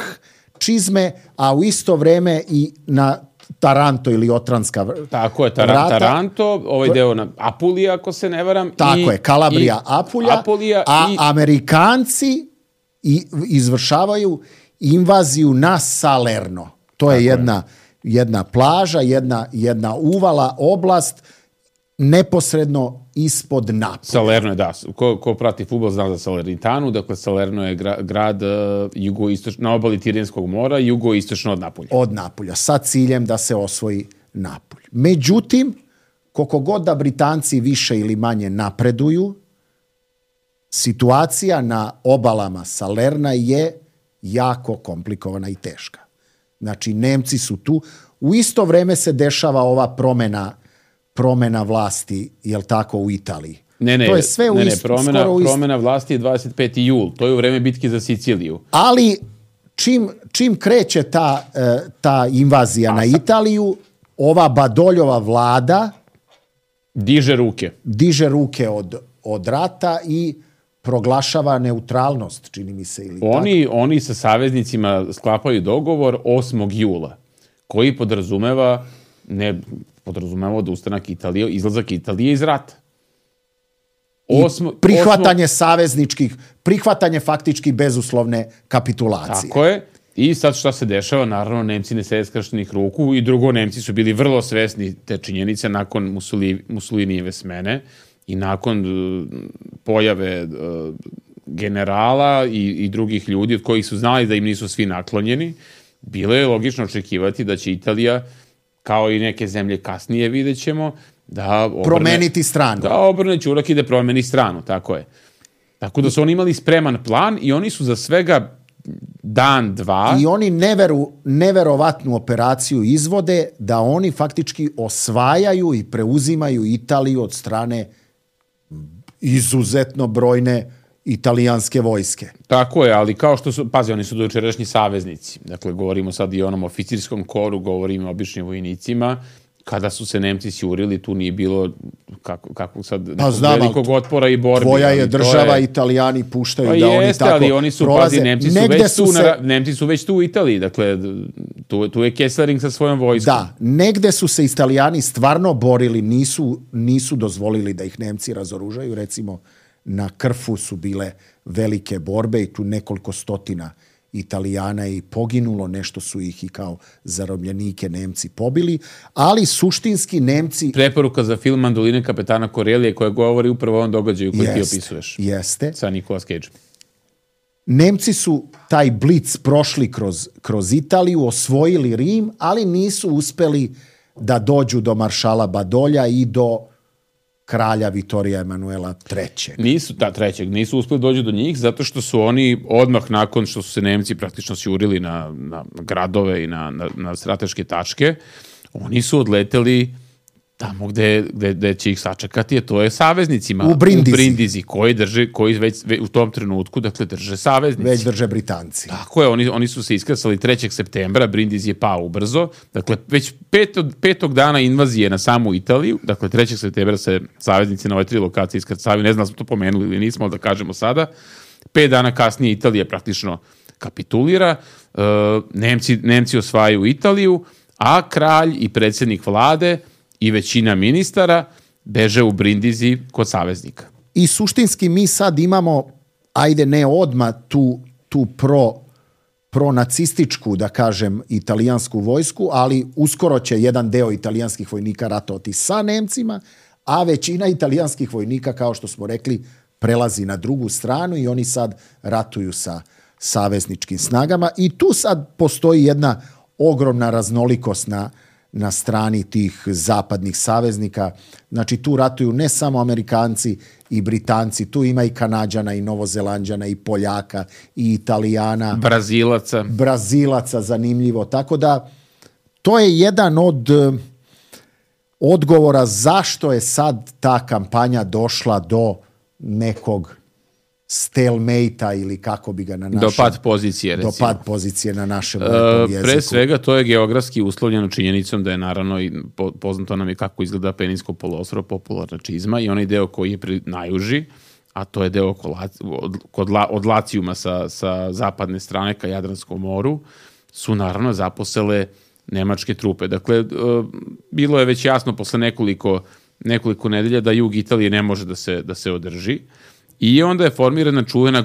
čizme, a u isto vreme i na Taranto ili Otranska vrata. Tako je, Taranto, ovaj deo na Apulija, ako se ne varam. Tako je, Kalabrija, Apulija, a Amerikanci izvršavaju invaziju na Salerno. To je jedna plaža, jedna uvala, oblast, neposredno ispod Napolja. Salerno je, da. Ko prati fudbal zna za Salernitanu, dakle Salerno je grad na obali Tirenskog mora, jugoistočno od Napolja. Od Napolja, sa ciljem da se osvoji Napolj. Međutim, koliko god da Britanci više ili manje napreduju, situacija na obalama Salerna je jako komplikovana i teška. Znači, Nemci su tu. U isto vreme se dešava ova promena vlasti, jel tako, u Italiji. To je sve promena vlasti je 25. jul. To je u vreme bitke za Siciliju. Ali čim kreće ta invazija na Italiju, ova Badoljova vlada diže ruke od rata i proglašava neutralnost, čini mi se. Oni sa saveznicima sklapaju dogovor 8. jula, koji podrazumeva odustanak Italije, izlazak Italije iz rata. Prihvatanje faktički bezuslovne kapitulacije. Tako je. I sad šta se dešava? Naravno, Nemci ne sede skrštenih ruku i drugo, Nemci su bili vrlo svesni te činjenice nakon Mussolinijeve smene i nakon pojave generala i drugih ljudi od kojih su znali da im nisu svi naklonjeni. Bilo je logično očekivati da će Italija, kao i neke zemlje kasnije, vidjet ćemo, promeniti stranu. Da obrne ćurak i da promeni stranu, tako je. Tako da su oni imali spreman plan i oni su za svega dan, dva... I oni neverovatnu operaciju izvode da oni faktički osvajaju i preuzimaju Italiju od strane izuzetno brojne italijanske vojske. Tako je, ali kao što su, oni su dojučerašnji saveznici. Dakle, govorimo sad i o onom oficirskom koru, govorimo o običnim vojnicima. Kada su se Nemci sjurili, tu nije bilo kako sad velikog otpora i borbi. Tvoja je država, Italijani puštaju da oni tako ali oni su, prolaze. Nemci su već tu u Italiji, dakle, tu je Kesselring sa svojom vojskom. Da, negde su se Italijani stvarno borili, nisu dozvolili da ih Nemci razoružaju, recimo na Krfu su bile velike borbe i tu nekoliko stotina Italijana i poginulo, nešto su ih i kao zarobljenike Nemci pobili, ali suštinski Nemci... Preporuka za film Mandoline kapetana Corellije koja govori upravo o ovom događaju koji ti opisuješ. Jeste. Sa Nicolas Cage. Nemci su taj blic prošli kroz Italiju, osvojili Rim, ali nisu uspeli da dođu do maršala Badolja i do kralja Vitorija Emanuela III. Nisu uspeli dođu do njih zato što su oni odmah nakon što su se Nemci praktično sjurili na gradove i na strateške tačke, oni su odleteli tamo gde će ih sačekati, a to je saveznicima. U Brindisi, koji već u tom trenutku, dakle, drže saveznici. Već drže Britanci. Tako je, oni su se iskrcali 3. septembra, Brindisi je pao ubrzo, dakle, već petog dana invazije na samu Italiju, dakle, 3. septembra se saveznici na ove 3 lokacije iskrcavaju, ne znam da smo to pomenuli ili nismo, ali da kažemo sada. 5 dana kasnije Italija praktično kapitulira, Nemci osvajaju Italiju, a kralj i predsjednik vlade i većina ministara beže u Brindisi kod saveznika. I suštinski mi sad imamo, ajde ne odmah, tu pronacističku, da kažem, italijansku vojsku, ali uskoro će jedan deo italijanskih vojnika ratovati sa Nemcima, a većina italijanskih vojnika, kao što smo rekli, prelazi na drugu stranu i oni sad ratuju sa savezničkim snagama. I tu sad postoji jedna ogromna raznolikost na strani tih zapadnih saveznika. Znači, tu ratuju ne samo Amerikanci i Britanci, tu ima i Kanađana i Novozelanđana i Poljaka i Italijana. Brazilaca, zanimljivo. Tako da to je jedan od odgovora zašto je sad ta kampanja došla do nekog stalemate-a ili kako bi ga na našem... Do pad pozicije, recimo. Do pad pozicije na našem lepom jeziku. Pre svega, to je geografski uslovljeno činjenicom da je naravno i poznato nam je kako izgleda Peninsko poluostrvo, popularna čizma i onaj deo koji je najuži, a to je deo od Lacijuma sa zapadne strane ka Jadranskom moru, su naravno zaposele nemačke trupe. Dakle, bilo je već jasno posle nekoliko nedelja da jug Italije ne može da se održi. I onda je formirana čuvena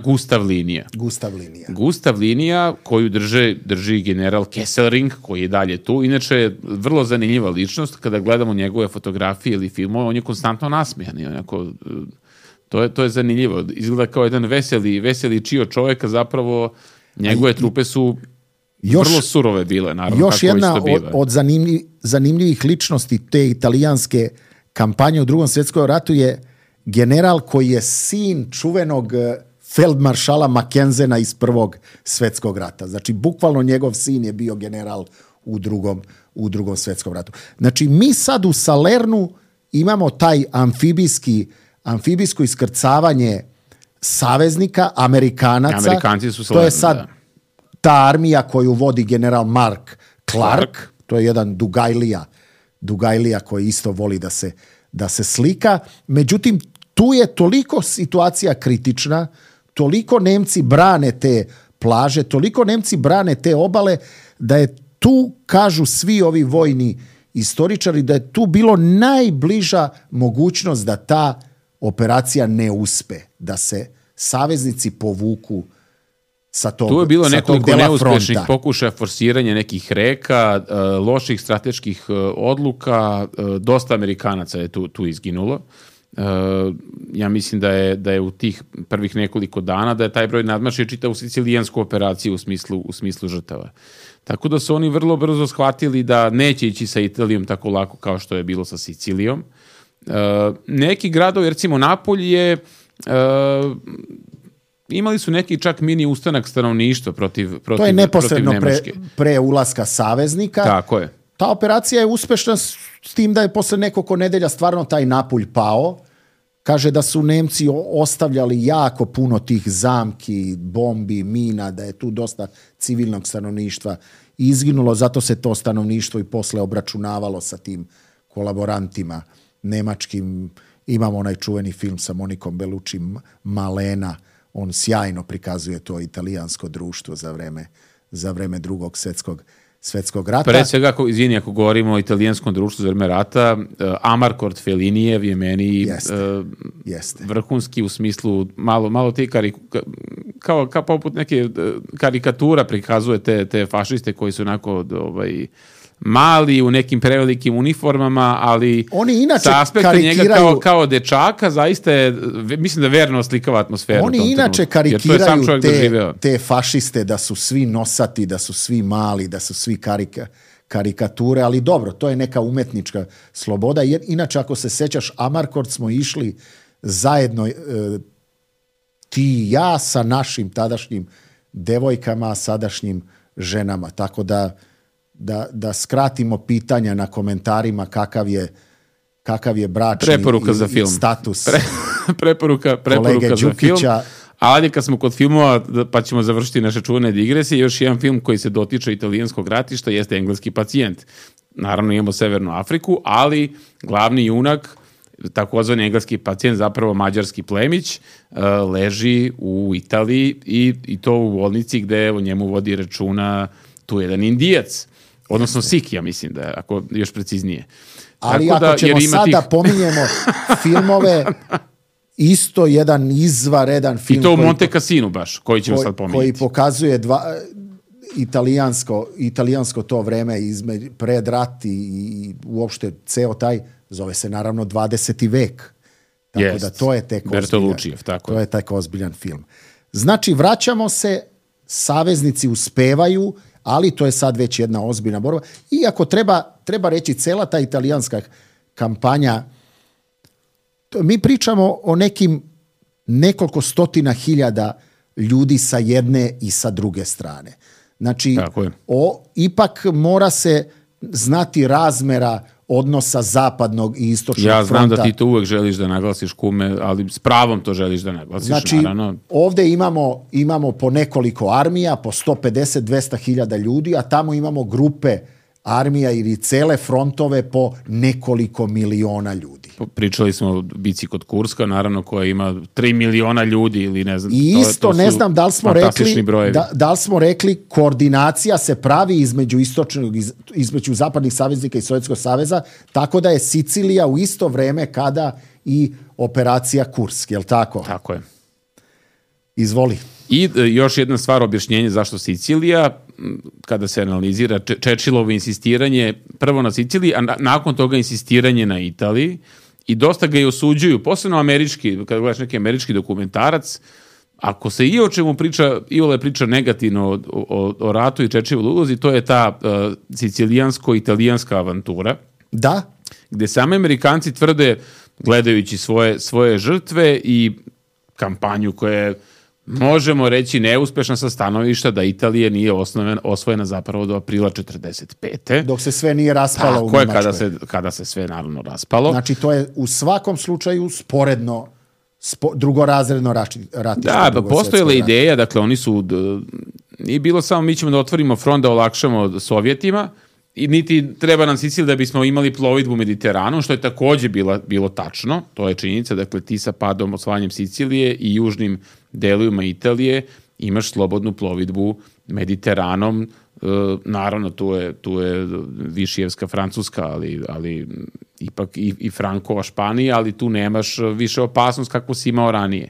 Gustav linija koju drži general Kesselring, koji je dalje tu. Inače je vrlo zanimljiva ličnost. Kada gledamo njegove fotografije ili filmove, on je konstantno nasmijan. To je zanimljivo. Izgleda kao jedan veseli čio čovjek, a zapravo njegove trupe su vrlo surove bile. Naravno, još jedna od zanimljivih ličnosti te italijanske kampanje u Drugom svjetskom ratu je general koji je sin čuvenog feldmaršala Mackenzena iz Prvog svjetskog rata. Znači, bukvalno njegov sin je bio general u Drugom svjetskom ratu. Znači, mi sad u Salernu imamo taj amfibijsko iskrcavanje saveznika, Amerikanaca. Amerikanci su to je sad ta armija koju vodi general Mark Clark. To je jedan Dugajlija koji isto voli da se slika. Međutim, tu je toliko situacija kritična, toliko Nemci brane te plaže, toliko Nemci brane te obale, da je tu, kažu svi ovi vojni istoričari, da je tu bilo najbliža mogućnost da ta operacija ne uspe, da se saveznici povuku sa tog dela fronta. Tu je bilo nekoliko neuspešnih pokušaja forsiranja nekih reka, loših strateških odluka, dosta Amerikanaca je tu izginulo. Ja mislim da je u tih prvih nekoliko dana da je taj broj nadmašio čitavu sicilijansku operaciju u smislu žrtava. Tako da su oni vrlo brzo shvatili da neće ići sa Italijom tako lako kao što je bilo sa Sicilijom. Neki gradovi, recimo Napolj je... imali su neki čak mini ustanak stanovništva protiv Nemačke. To je neposredno pre ulaska saveznika. Tako je. Ta operacija je uspešna s tim da je posle nekoliko nedelja stvarno taj Napulj pao. Kaže da su Nemci ostavljali jako puno tih zamki, bombi, mina, da je tu dosta civilnog stanovništva izginulo, zato se to stanovništvo i posle obračunavalo sa tim kolaborantima nemačkim. Imamo onaj čuveni film sa Monikom Bellucci, Malena, on sjajno prikazuje to italijansko društvo za vreme Drugog svjetskog rata. Pre svega, ako govorimo o italijanskom društvu za vreme rata, Amarcord Fellinijev je meni vrhunski u smislu malo te kao poput neke karikatura prikazuje te fašiste koji su onako mali u nekim prevelikim uniformama, ali oni inače sa aspekta njega kao dečaka zaista je, mislim da verno oslikava atmosferu. Oni inače karikiraju te fašiste da su svi nosati, da su svi mali, da su svi karikature, ali dobro, to je neka umetnička sloboda, jer inače ako se sećaš, Amarcord smo išli zajedno ti i ja sa našim tadašnjim devojkama, sadašnjim ženama, tako da skratimo pitanja na komentarima kakav je bračni status preporuka za film. Ali kad smo kod filmova, pa ćemo završiti naše čuvene digresije, još jedan film koji se dotiče italijanskog ratišta jeste Engleski pacijent. Naravno imamo Severnu Afriku, ali glavni junak, takozvani engleski pacijent, zapravo mađarski plemić, leži u Italiji i to u bolnici gde o njemu vodi računa tu jedan Indijac. Odnosno Sik, ja mislim da je, ako još preciznije. Ali tako ako ćemo sada pominjemo filmove, isto jedan izvaredan film. I to u Monte Cassinu baš, koji ćemo sad pominjati. Koji pokazuje italijansko to vreme pred rat i uopšte ceo taj, zove se naravno 20. vek. Tako da to je tek ozbiljan film. Znači, vraćamo se, saveznici uspevaju, ali to je sad već jedna ozbiljna borba. Iako treba reći, cela ta italijanska kampanja, mi pričamo o nekoliko stotina hiljada ljudi sa jedne i sa druge strane. Znači, ipak mora se znati razmera odnosa zapadnog i istočnog fronta. Ja znam da ti to uvek želiš da naglasiš, kume, ali s pravom to želiš da naglasiš, znači, naravno. Ovde imamo po nekoliko armija, po 150-200 hiljada ljudi, a tamo imamo grupe armija ili cele frontove po nekoliko miliona ljudi. Pričali smo o bici kod Kurska, naravno, koja ima 3 miliona ljudi ili ne znam. I isto ne znam da li smo rekli koordinacija se pravi između zapadnih saveznika i Sovjetskog saveza, tako da je Sicilija u isto vreme kada i operacija Kursk, je li tako? Tako je. Izvoli. I još jedna stvar, objašnjenje zašto Sicilija, kada se analizira Churchillovo insistiranje prvo na Siciliji, a nakon toga insistiranje na Italiji, i dosta ga i osuđuju, posebno američki, kada gledaš neki američki dokumentarac, ako se i o čemu priča negativno o ratu i Churchillovoj ulozi, to je ta sicilijansko-italijanska avantura. Da. Gde sami Amerikanci tvrde, gledajući svoje žrtve i kampanju koja je, možemo reći, neuspešna sa stanovišta da Italija nije osvojena zapravo do aprila 45. Dok se sve nije raspalo u Nemačkoj. Tako je, kada se sve naravno raspalo. Znači, to je u svakom slučaju sporedno, drugorazredno ratište. Da, postojala ideja, dakle, oni su, nije bilo samo mi ćemo da otvorimo front da olakšamo Sovjetima, i niti treba nam Sicilija da bismo imali plovidbu Mediteranom, što je takođe bilo tačno, to je činjenica, dakle ti sa padom, osvajanjem Sicilije i južnim delovima Italije imaš slobodnu plovidbu Mediteranom, naravno tu je Višijevska Francuska, ali ipak i Frankova Španija, ali tu nemaš više opasnost kako si imao ranije.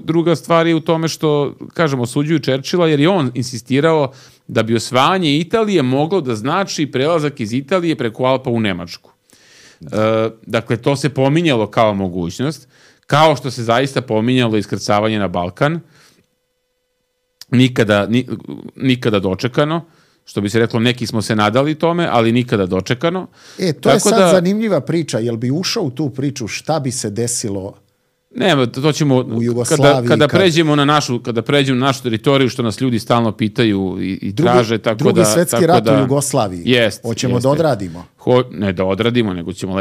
Druga stvar je u tome što, kažemo, osuđuju Churchilla jer je on insistirao da bi osvajanje Italije moglo da znači prelazak iz Italije preko Alpa u Nemačku. Dakle, to se pominjalo kao mogućnost, kao što se zaista pominjalo iskrcavanje na Balkan, nikada dočekano, što bi se reklo, neki smo se nadali tome, ali nikada dočekano. To je sad zanimljiva priča, jel bi ušao u tu priču šta bi se desilo? Ne, to ćemo, kada pređemo na našu teritoriju, što nas ljudi stalno pitaju i traže, tako da... Drugi svetski rat u Jugoslaviji. Hoćemo da odradimo. Ne da odradimo, nego ćemo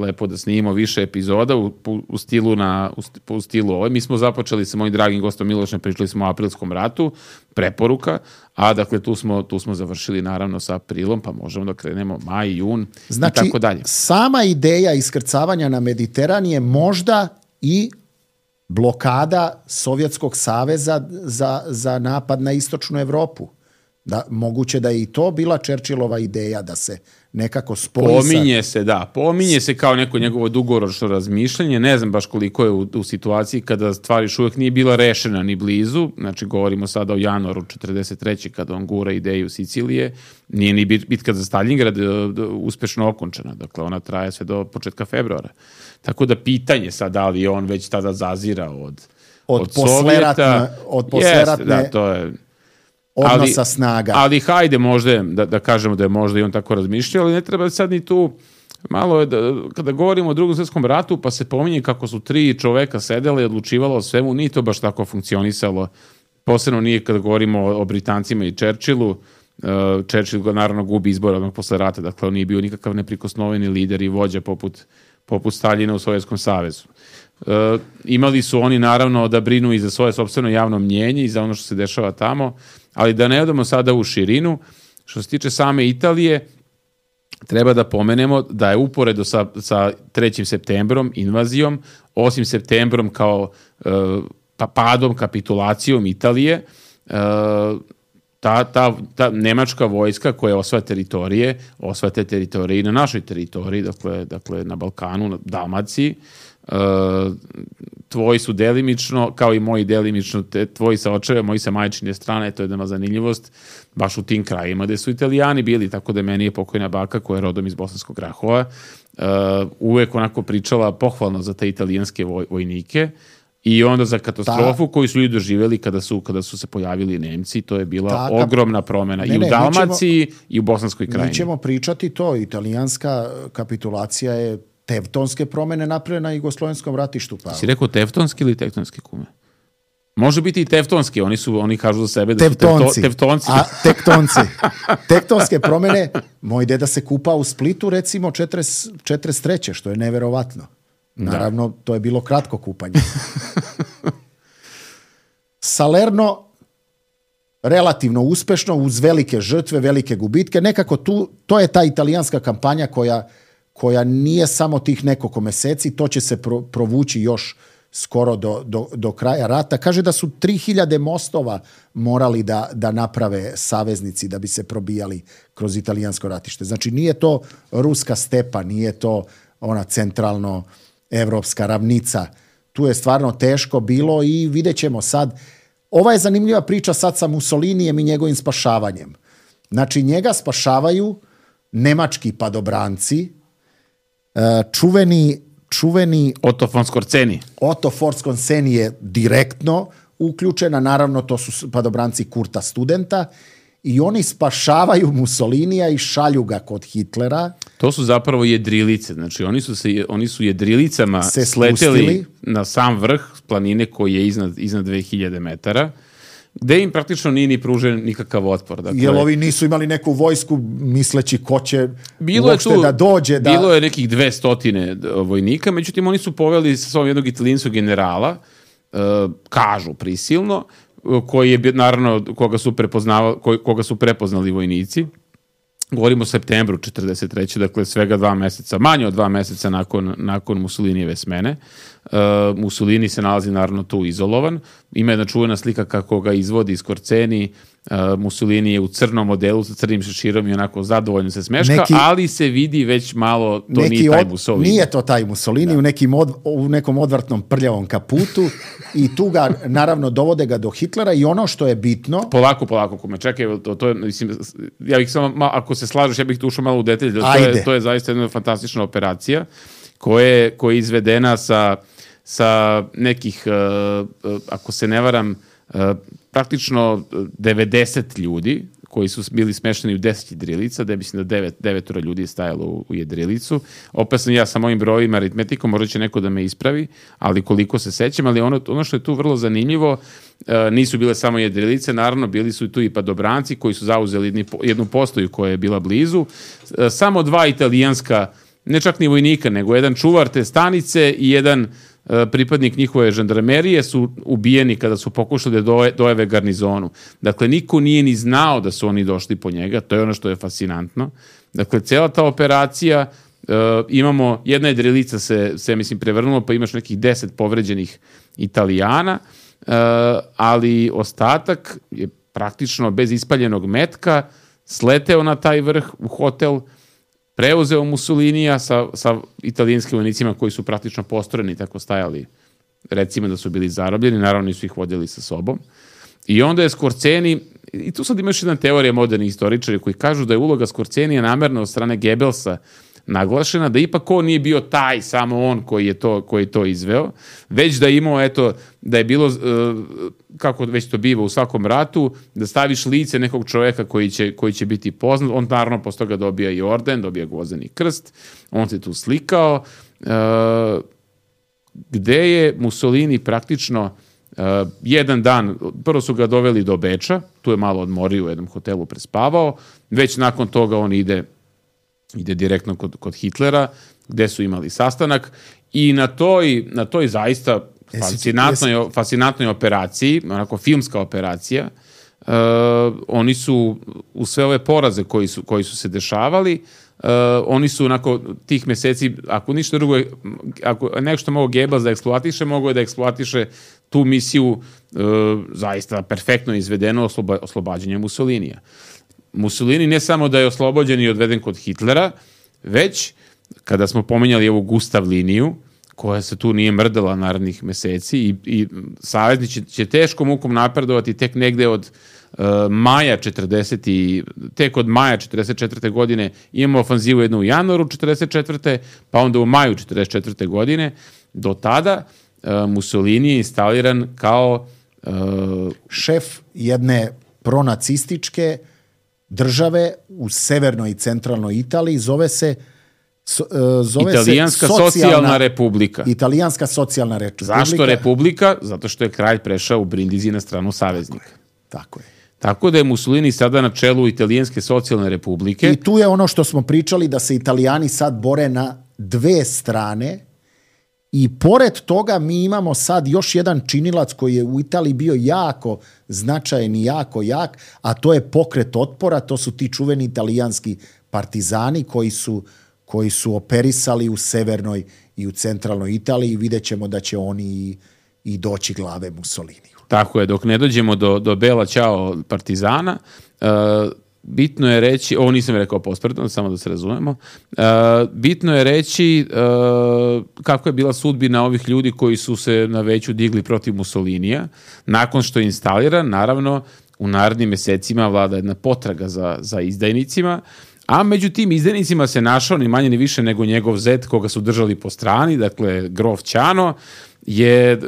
lepo da snimimo više epizoda u stilu ovo. Mi smo započeli sa mojim dragim gostom Milošem, pričali smo o aprilskom ratu, preporuka, a dakle tu smo završili naravno sa aprilom, pa možemo da krenemo maj, jun i tako dalje. Znači, sama ideja iskrcavanja na Mediteran je možda i blokada Sovjetskog saveza za napad na istočnu Evropu. Moguće da je i to bila Churchillova ideja da se nekako spoji Pominje se kao neko njegovo dugoročno razmišljanje. Ne znam baš koliko je u situaciji kada stvar još uvijek nije bila rešena ni blizu. Znači, govorimo sada o januaru 43. kada on gura ideju Sicilije. Nije ni bitka za Stalingrad uspešno okončena. Dakle, ona traje sve do početka februara. Tako da pitanje sad da li je on već tada zazirao od Sovjeta. Od posleratne... Da, to je... odnosa snaga. Ali hajde možda da kažemo da je možda i on tako razmišljao, ali ne treba sad ni tu malo je kada govorimo o Drugom svjetskom ratu, pa se pominje kako su 3 čoveka sedela i odlučivalo o svemu, nije to baš tako funkcionisalo. Posebno nije kada govorimo o Britancima i Churchillu. Churchill ga naravno gubi izbor odmah posle rata, dakle on nije bio nikakav neprikosnoveni lider i vođa poput Staljina u Sovjetskom savezu. Imali su oni naravno da brinu i za svoje sopstveno javno mnjenje i za ono što se dešava tamo, ali da ne odemo sada u širinu. Što se tiče same Italije, treba da pomenemo da je uporedo sa 3. septembrom, invazijom, 8. septembrom kao padom, kapitulacijom Italije, ta nemačka vojska koja osvaja teritorije i na našoj teritoriji, dakle na Balkanu, na Dalmaciji. Tvoji su delimično, kao i moji delimično, tvoji sa očeve, moji sa majčine strane, to je jedna zanimljivost, baš u tim krajima gde su Italijani bili, tako da meni je pokojna baka koja je rodom iz Bosanskog Grahova uvek onako pričala pohvalno za te italijanske vojnike i onda za katastrofu koju su ljudi doživjeli kada su se pojavili Nemci, to je bila ogromna promena i u Dalmaciji i u Bosanskoj krajini. Mi ćemo pričati to, italijanska kapitulacija je tektonske promene napravljene na Jugoslovenskom ratištu. Si rekao teftonski ili tektonski, kume? Može biti i teftonski, oni kažu za sebe da Teftonci. su teftonci. A tektonci. Tektonske promjene, moj deda se kupao u Splitu recimo 43. što je neverovatno. Naravno, to je bilo kratko kupanje. Salerno relativno uspešno, uz velike žrtve, velike gubitke. Nekako to je ta italijanska kampanja koja nije samo tih nekoliko meseci, to će se provući još skoro do kraja rata. Kaže da su 3000 mostova morali da naprave saveznici da bi se probijali kroz italijansko ratište. Znači nije to ruska stepa, nije to ona centralno evropska ravnica. Tu je stvarno teško bilo i vidjet ćemo sad. Ova je zanimljiva priča sad sa Mussolinijem i njegovim spašavanjem. Znači njega spašavaju nemački padobranci, čuveni Otto von Skorceni. Otto von Skorceni je direktno uključena, naravno to su padobranci Kurta Studenta i oni spašavaju Mussolinija i šalju ga kod Hitlera. To su zapravo jedrilice, znači oni su jedrilicama sleteli na sam vrh planine koji je iznad 2000 metara, gde im praktično nije ni pružen nikakav otpor. Dakle, jer ovi nisu imali neku vojsku misleći ko će uopšte da dođe. Bilo je nekih 200 vojnika, međutim oni su poveli sa sobom jednog italijanskog generala, kažu prisilno, koji je naravno koga su prepoznali vojnici. Govorimo o septembru 43. Dakle svega 2 meseca, manje od 2 meseca nakon Mussolinijeve smene. Mussolini se nalazi naravno tu izolovan. Ima jedna čuvena slika kako ga izvodi Skorceni. Mussolini je u crnom modelu sa crnim šeširom i onako zadovoljno se smeška, ali se vidi već malo nije taj Mussolini. Nije to taj Mussolini, u nekom odvratnom prljavom kaputu i tu ga naravno dovode ga do Hitlera i ono što je bitno... Polako, kome čekaj, to je, mislim, ja bih samo, ako se slažeš, ja bih tu ušao malo u detalje, to je zaista jedna fantastična operacija koja je izvedena sa nekih, ako se ne varam, praktično 90 ljudi koji su bili smešteni u 10 jedrilica, da mislim da 9 ljudi je stajalo u jedrilicu. Opet sam ja sa mojim brojima, aritmetikom, možda će neko da me ispravi, ali koliko se sećam, ali ono što je tu vrlo zanimljivo, nisu bile samo jedrilice, naravno bili su tu i padobranci koji su zauzeli jednu postoju koja je bila blizu, samo 2 italijanska, ne čak ni vojnika, nego jedan čuvar te stanice i jedan pripadnik njihove žandarmerije su ubijeni kada su pokušali da dojave garnizonu. Dakle, niko nije ni znao da su oni došli po njega, to je ono što je fascinantno. Dakle, cela ta operacija, imamo, jedna jedrilica se mislim prevrnula, pa imaš nekih 10 povređenih Italijana, ali ostatak je praktično bez ispaljenog metka sleteo na taj vrh u hotel, preuzeo Mussolinija sa italijanskim vojnicima koji su praktično postrojeni, tako stajali, recimo da su bili zarobljeni, naravno nisu ih vodili sa sobom. I onda je Skorceni, i tu sad imaš jedna teorija modernih istoričara koji kažu da je uloga Skorcenija namerno od strane Goebbelsa naglašena, da ipak on nije bio taj, samo on koji je to izveo, već da je imao, da je bilo, kako već to biva u svakom ratu, da staviš lice nekog čovjeka koji će biti poznat, on naravno posle toga dobija i orden, dobija gvozdeni krst, on se tu slikao, gde je Mussolini praktično jedan dan, prvo su ga doveli do Beča, tu je malo odmorio u jednom hotelu, prespavao, već nakon toga on ide direktno kod Hitlera, gde su imali sastanak i na toj zaista fascinantnoj operaciji, onako filmska operacija, oni su u sve ove poraze koji su se dešavali, oni su onako tih meseci, ako ništa drugo, ako nešto mogo Goebbels da eksploatiše, mogo je da eksploatiše tu misiju zaista perfektno izvedeno oslobađanje Mussolinija. Mussolini ne samo da je oslobođen i odveden kod Hitlera, već kada smo pominjali ovu Gustav liniju, koja se tu nije mrdala narednih meseci i saveznici će teškom mukom napredovati tek negde od maja 44. godine, imamo ofanzivu jednu u januaru 44. pa onda u maju 44. godine. Do tada Mussolini je instaliran kao šef jedne pronacističke države u severnoj i centralnoj Italiji, zove se Zove Italijanska se socijalna republika. Italijanska socijalna republika. Zašto republika? Zato što je kralj prešao u Brindisi na stranu saveznika. Tako je. Tako da je Mussolini sada na čelu Italijanske socijalne republike. I tu je ono što smo pričali, da se Italijani sad bore na dve strane i pored toga mi imamo sad još jedan činilac koji je u Italiji bio jako značajan i jako jak, a to je pokret otpora, to su ti čuveni italijanski partizani koji su operisali u severnoj i u centralnoj Italiji i vidjet ćemo da će oni i doći glave Mussoliniju. Tako je, dok ne dođemo do Bela Ćao partizana, bitno je reći, ovo nisam rekao pospredno, samo da se razumemo, bitno je reći kako je bila sudbina ovih ljudi koji su se na veću digli protiv Mussolinija. Nakon što je instaliran, naravno, u narednim mesecima vlada jedna potraga za izdajnicima, a među tim izdajnicima se našao ni manje ni više nego njegov zet koga su držali po strani, dakle grof Ćano, je,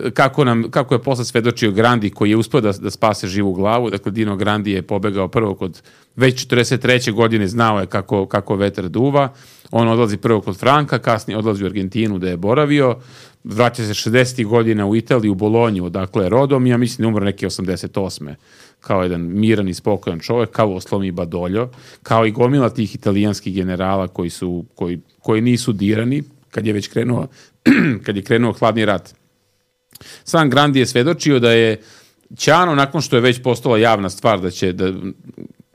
kako je posle svedočio Grandi, koji je uspio da spase živu glavu. Dakle, Dino Grandi je pobegao prvo kod, već 43. godine znao je kako vetar duva. On odlazi prvo kod Franka, kasnije odlazi u Argentinu da je boravio, vraća se 60. godina u Italiju, u Bolonju, odakle je rodom, i ja mislim da umro neke 88. kao jedan miran i spokojan čovjek, kao Oslomi Badoljo, kao i gomila tih italijanskih generala koji nisu dirani kad je krenuo hladni rat. Sam Grandi je svedočio da je Ćano, nakon što je već postala javna stvar da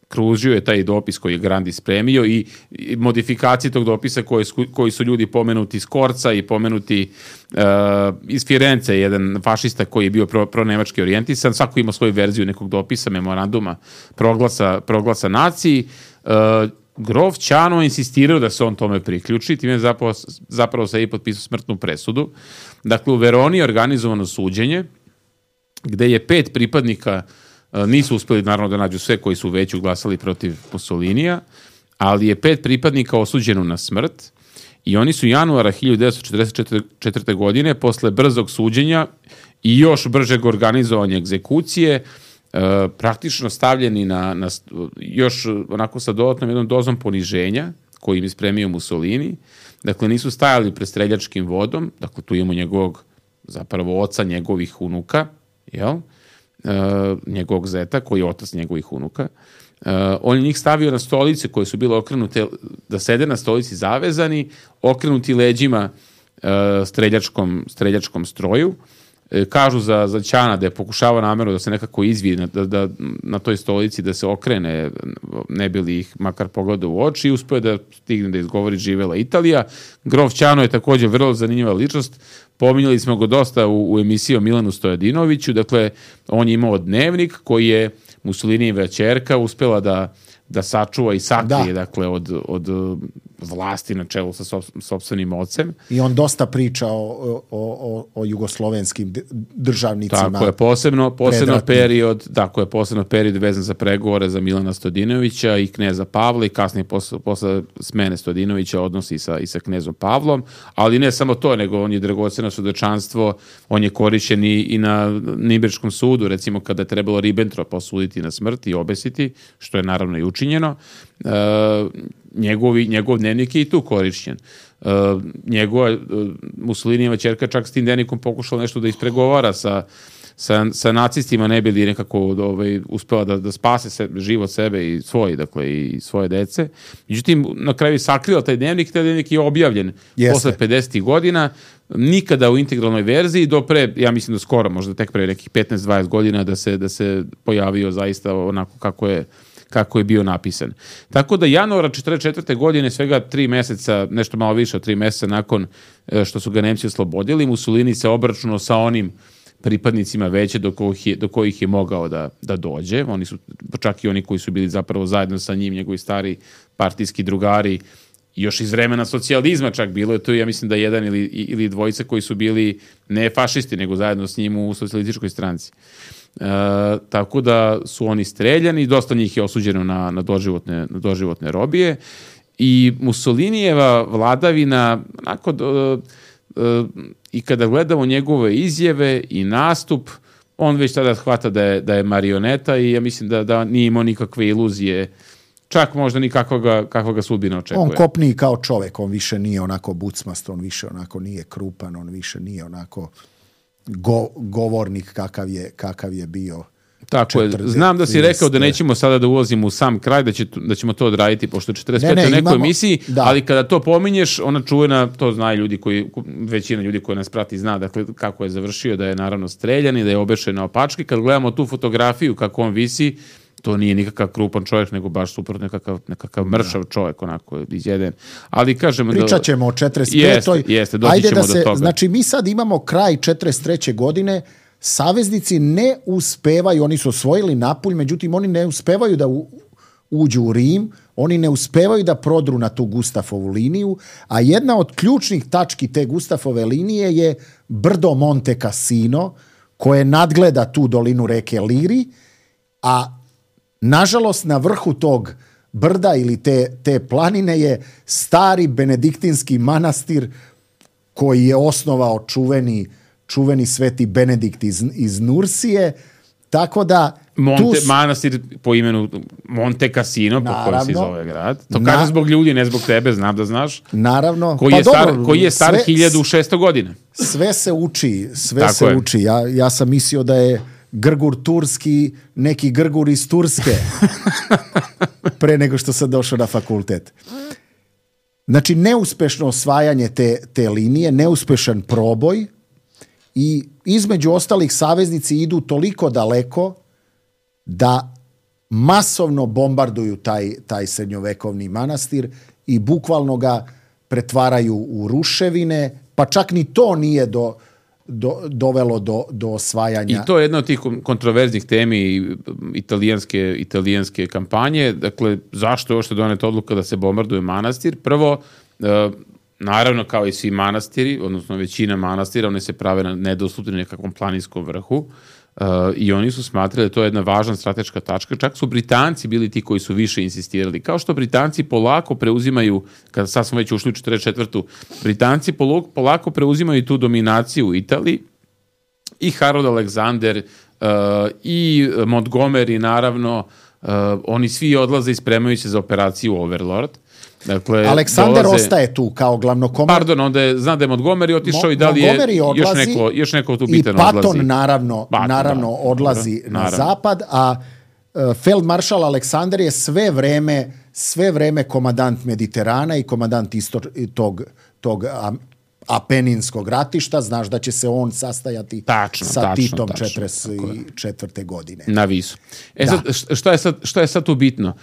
kružio je taj dopis koji je Grandi spremio i modifikacije tog dopisa koji su ljudi pomenuti iz Korca i pomenuti iz Firence, jedan fašista koji je bio pro-nemački orijentisan, svako ima svoju verziju nekog dopisa, memoranduma, proglasa naciji. Grof Ćano insistirao da se on tome priključi, time je zapravo se i potpisao smrtnu presudu. Dakle, u Veroni je organizovano suđenje, gde je 5 pripadnika, nisu uspeli naravno da nađu sve koji su već glasali protiv Mussolinija, ali je 5 pripadnika osuđeno na smrt i oni su januara 1944. godine, posle brzog suđenja i još bržeg organizovanja egzekucije, praktično stavljeni na još onako sa dodatnom jednom dozom poniženja koji im je spremio Mussolini. Dakle, nisu stajali pred streljačkim vodom, dakle tu imamo njegovog zapravo oca njegovih unuka, njegovog zeta koji je otac njegovih unuka. On je njih stavio na stolice koje su bile okrenute, da sede na stolici zavezani, okrenuti leđima streljačkom stroju. Kažu za Ćana da je pokušavao namjerno da se nekako izvije da na toj stolici da se okrene, ne bi li ih makar pogledao u oči, i uspio da stigne da izgovori živela Italija. Grof Ćano je također vrlo zanimljiva ličnost. Pominjali smo ga dosta u emisiji o Milanu Stojadinoviću. Dakle, on je imao dnevnik koji je Mussolinijeva ćerka uspela da sačuva i sakrije, dakle, od vlasti na čelu sa sopstvenim ocem. I on dosta priča o jugoslovenskim državnicima. Tako je, posebno period vezan za pregovore za Milana Stojadinovića i kneza Pavla, i kasnije posle smene Stojadinovića odnosi i sa knezom Pavlom, ali ne samo to, nego on je dragoceno svedočanstvo, on je korišćen i na Nirnberškom sudu, recimo kada je trebalo Ribbentropa osuditi na smrt i obesiti, što je naravno i učinjeno. Njegov dnevnik je i tu korišćen. Njegova Mussolinijeva ćerka čak s tim dnevnikom pokušala nešto da ispregovara sa nacistima, ne bi li nekako uspela da spase život sebe i svoje dece. Međutim, na kraju je sakrila taj dnevnik je objavljen posle 50. godina, nikada u integralnoj verziji, do pre, ja mislim da skoro, možda tek pre nekih 15-20 godina da se pojavio zaista onako kako je bio napisan. Tako da januara 1944. godine, svega 3 meseca, nešto malo više od 3 meseca nakon što su ga Nemci oslobodili, Mussolini se obračunao sa onim pripadnicima veće do kojih je mogao da dođe. Oni su, čak i oni koji su bili zapravo zajedno sa njim, njegovi stari partijski drugari, još iz vremena socijalizma čak bilo je to, ja mislim da jedan ili dvojica koji su bili ne fašisti, nego zajedno s njim u socijalističkoj stranci. Tako da su oni streljani, dosta njih je osuđeno na doživotne robije, i Mussolinijeva vladavina, onako, i kada gledamo njegove izjave i nastup, on već tada hvata da je marioneta, i ja mislim da nije imao nikakve iluzije čak možda ni kakva ga sudbina očekuje. On kopniji kao čovek, on više nije onako bucmast, on više onako nije krupan, on više nije onako govornik kakav je bio. Tako je. Znam da si rekao da nećemo sada da ulazimo u sam kraj, da ćemo to odraditi pošto 45 u nekoj emisiji, ali kada to pominješ, ona čuvena, to znaju ljudi većina ljudi koji nas prati zna, dakle, kako je završio, da je naravno streljan i da je obešen na opački. Kad gledamo tu fotografiju kako on visi, to nije nikakav krupan čovjek, nego baš super nekakav mršav čovjek, onako izjeden. Ali kažemo pričat ćemo o 45. Jeste, doći ćemo do toga. Znači, mi sad imamo kraj 43. godine, saveznici ne uspevaju, oni su osvojili Napulj, međutim, oni ne uspevaju da uđu u Rim, oni ne uspevaju da prodru na tu Gustafovu liniju, a jedna od ključnih tački te Gustafove linije je brdo Monte Cassino, koje nadgleda tu dolinu reke Liri, a nažalost na vrhu tog brda ili te planine je stari benediktinski manastir koji je osnovao čuveni sveti Benedikt iz Nursije, tako da manastir po imenu Monte Cassino, po kojem se zove grad. To kažem zbog ljudi, ne zbog tebe, znam da znaš. Naravno. Koji je star 1600 godina. Sve se uči, uči. Ja sam mislio da je Grgur turski, neki Grgur iz Turske, pre nego što sam došao na fakultet. Znači, neuspešno osvajanje te linije, neuspešan proboj i između ostalih saveznici idu toliko daleko da masovno bombarduju taj srednjovekovni manastir i bukvalno ga pretvaraju u ruševine, pa čak ni to nije dovelo do osvajanja. I to je jedna od tih kontroverznih temi italijanske kampanje. Dakle, zašto je još doneta odluka da se bombarduje manastir? Prvo, naravno, kao i svi manastiri, odnosno većina manastira, one se prave na nedostupnim nekakvom planinskom vrhu i oni su smatrali da to je jedna važna strateška tačka. Čak su Britanci bili ti koji su više insistirali. Kao što Britanci polako preuzimaju, kada sad smo već ušli u 44. Britanci polako preuzimaju tu dominaciju u Italiji i Harold Alexander i Montgomery, naravno, oni svi odlaze i spremaju se za operaciju Overlord. Dakle, Aleksandar ostaje tu kao glavnokomandant. Pardon, onda znam da je Montgomery otišao i da li je još neko tu bitan odlazi. I Patton naravno odlazi na zapad, a feldmaršal Aleksandar je sve vreme komandant Mediterana i komandant tog Apeninskog ratišta. Znaš da će se on sastajati sa Titom 44. godine. Na Visu. Sad, šta je sad tu bitno?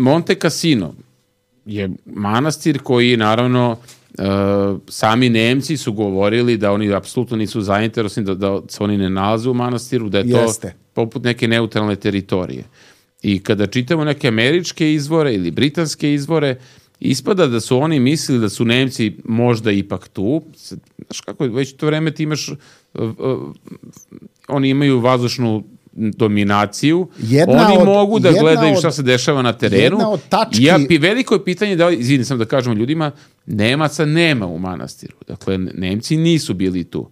Monte Cassino je manastir koji, naravno, sami Nemci su govorili da oni apsolutno nisu zainteresovani, da se oni ne nalaze u manastiru, da je to poput neke neutralne teritorije. I kada čitamo neke američke izvore ili britanske izvore, ispada da su oni mislili da su Nemci možda ipak tu. Znaš kako, već to vreme ti imaš, oni imaju vazdušnu dominaciju, oni mogu da gledaju šta se dešava na terenu. Veliko je pitanje izvini sam da kažemo ljudima, Nemaca nema u manastiru. Dakle, Nemci nisu bili tu.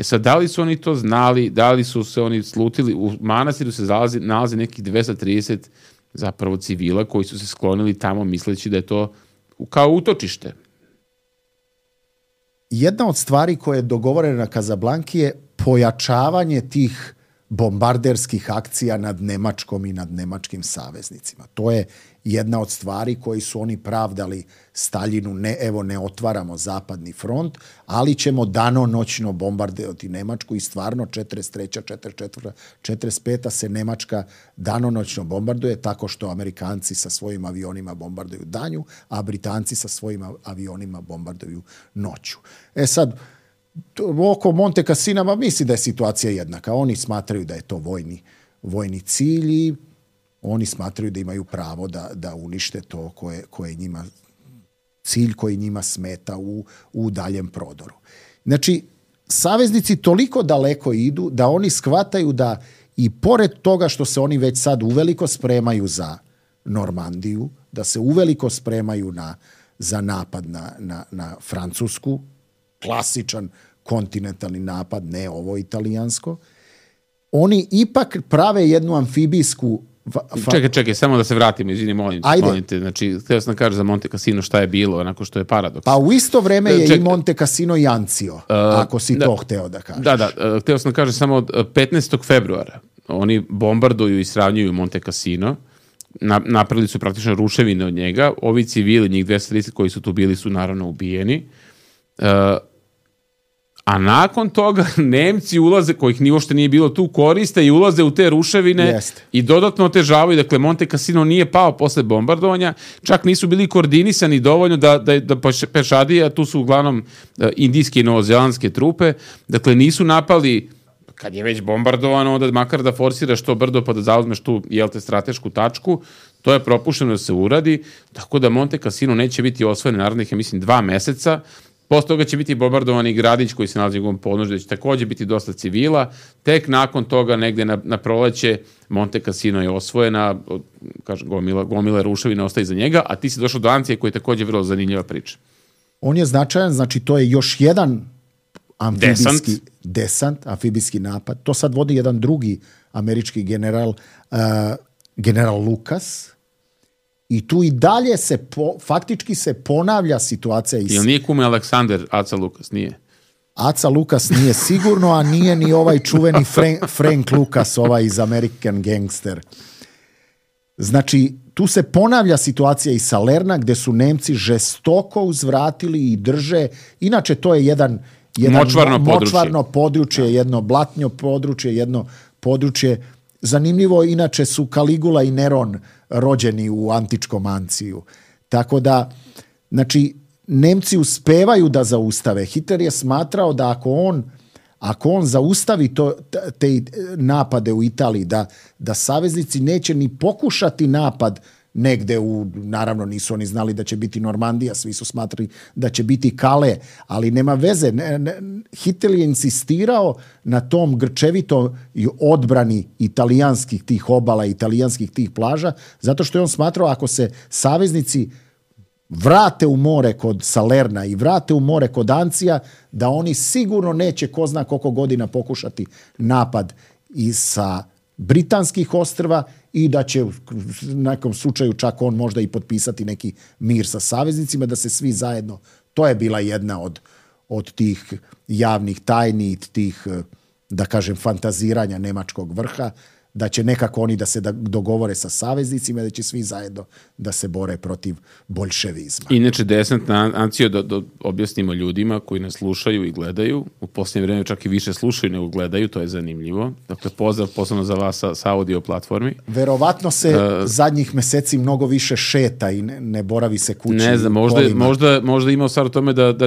Sad, da li su oni to znali, da li su se oni slutili, u manastiru se nalazi nekih 230 zapravo civila koji su se sklonili tamo misleći da je to kao utočište. Jedna od stvari koje je dogovorena na Kazablanki je pojačavanje tih bombarderskih akcija nad Nemačkom i nad nemačkim saveznicima. To je jedna od stvari koji su oni pravdali Staljinu, ne otvaramo zapadni front, ali ćemo danonoćno bombardovati Nemačku i stvarno 43. 44. 45. se Nemačka danonoćno bombarduje tako što Amerikanci sa svojim avionima bombarduju danju, a Britanci sa svojim avionima bombarduju noću. Sad, oko Monte Cassina misli da je situacija jednaka. Oni smatraju da je to vojni cilj i oni smatraju da imaju pravo da unište to koje njima cilj koji njima smeta u daljem prodoru. Znači, saveznici toliko daleko idu da oni shvataju da i pored toga što se oni već sad uveliko spremaju za Normandiju, da se uveliko spremaju za napad na Francusku, klasičan kontinentalni napad, ne ovo italijansko, oni ipak prave jednu amfibijsku Čekaj, samo da se vratimo, izvini, molim te. Znači, htio sam da kažem za Monte Cassino šta je bilo, onako što je paradoks. Pa u isto vreme je i Monte Cassino i Ancio, ako si to hteo da kažeš. Da, htio sam da kažem samo 15. februara oni bombarduju i sravnjuju Monte Cassino, napravili su praktično ruševine od njega, ovi civili, njih 230 koji su tu bili su naravno ubijeni, a nakon toga Nemci ulaze, kojih ni uopšte nije bilo tu, koriste i ulaze u te ruševine i dodatno otežavaju. Dakle, Monte Cassino nije pao posle bombardovanja, čak nisu bili koordinisani dovoljno da pešadije, a tu su uglavnom indijske i novozelandske trupe, dakle nisu napali, kad je već bombardovano, onda makar da forsiraš to brdo pa da zauzmeš tu, stratešku tačku, to je propušteno da se uradi, tako da Monte Cassino neće biti osvojen narednih, ja mislim, 2 meseca. Posle toga će biti bombardovani gradić koji se nalazi u njegovom podnožju, da će takođe biti dosta civila. Tek nakon toga, negde na proleće, Monte Cassino je osvojena, gomila ruševina ostaje iza njega, a ti si došao do Ancije koji je takođe vrlo zanimljiva priča. On je značajan, znači to je još jedan amfibijski napad. To sad vodi jedan drugi američki general Lucas. I tu i dalje faktički se ponavlja situacija. Jel nije kume Aleksander Aca Lukas? Nije. Aca Lukas nije sigurno, a nije ni ovaj čuveni Frank Lucas, ovaj iz American Gangster. Znači, tu se ponavlja situacija i Salerna, gde su Nemci žestoko uzvratili i drže. Inače, to je jedan močvarno područje, jedno blatnjo područje, jedno područje. Zanimljivo, inače su Caligula i Neron rođeni u antičkom Anciju. Tako da, znači, Nemci uspevaju da zaustave. Hitler je smatrao da ako on zaustavi te napade u Italiji, da saveznici neće ni pokušati napad negde naravno nisu oni znali da će biti Normandija, svi su smatrali da će biti Kale, ali nema veze. Hitler je insistirao na tom grčevitoj odbrani italijanskih tih obala, italijanskih tih plaža, zato što je on smatrao ako se saveznici vrate u more kod Salerna i vrate u more kod Ancija, da oni sigurno neće ko zna koliko godina pokušati napad i sa britanskih ostrva i da će u nekom slučaju čak on možda i potpisati neki mir sa saveznicima, da se svi zajedno, to je bila jedna od tih javnih tajni, tih, da kažem, fantaziranja nemačkog vrha, da će nekako oni da se dogovore sa saveznicima, da će svi zajedno da se bore protiv boljševizma. Inače, desant na Anciju, da objasnimo ljudima koji nas slušaju i gledaju, u posljednje vreme čak i više slušaju nego gledaju, to je zanimljivo. Dakle, pozdrav posebno za vas sa audio platformi. Verovatno se zadnjih meseci mnogo više šeta i ne boravi se kući. Ne znam, možda ima stvar u tome da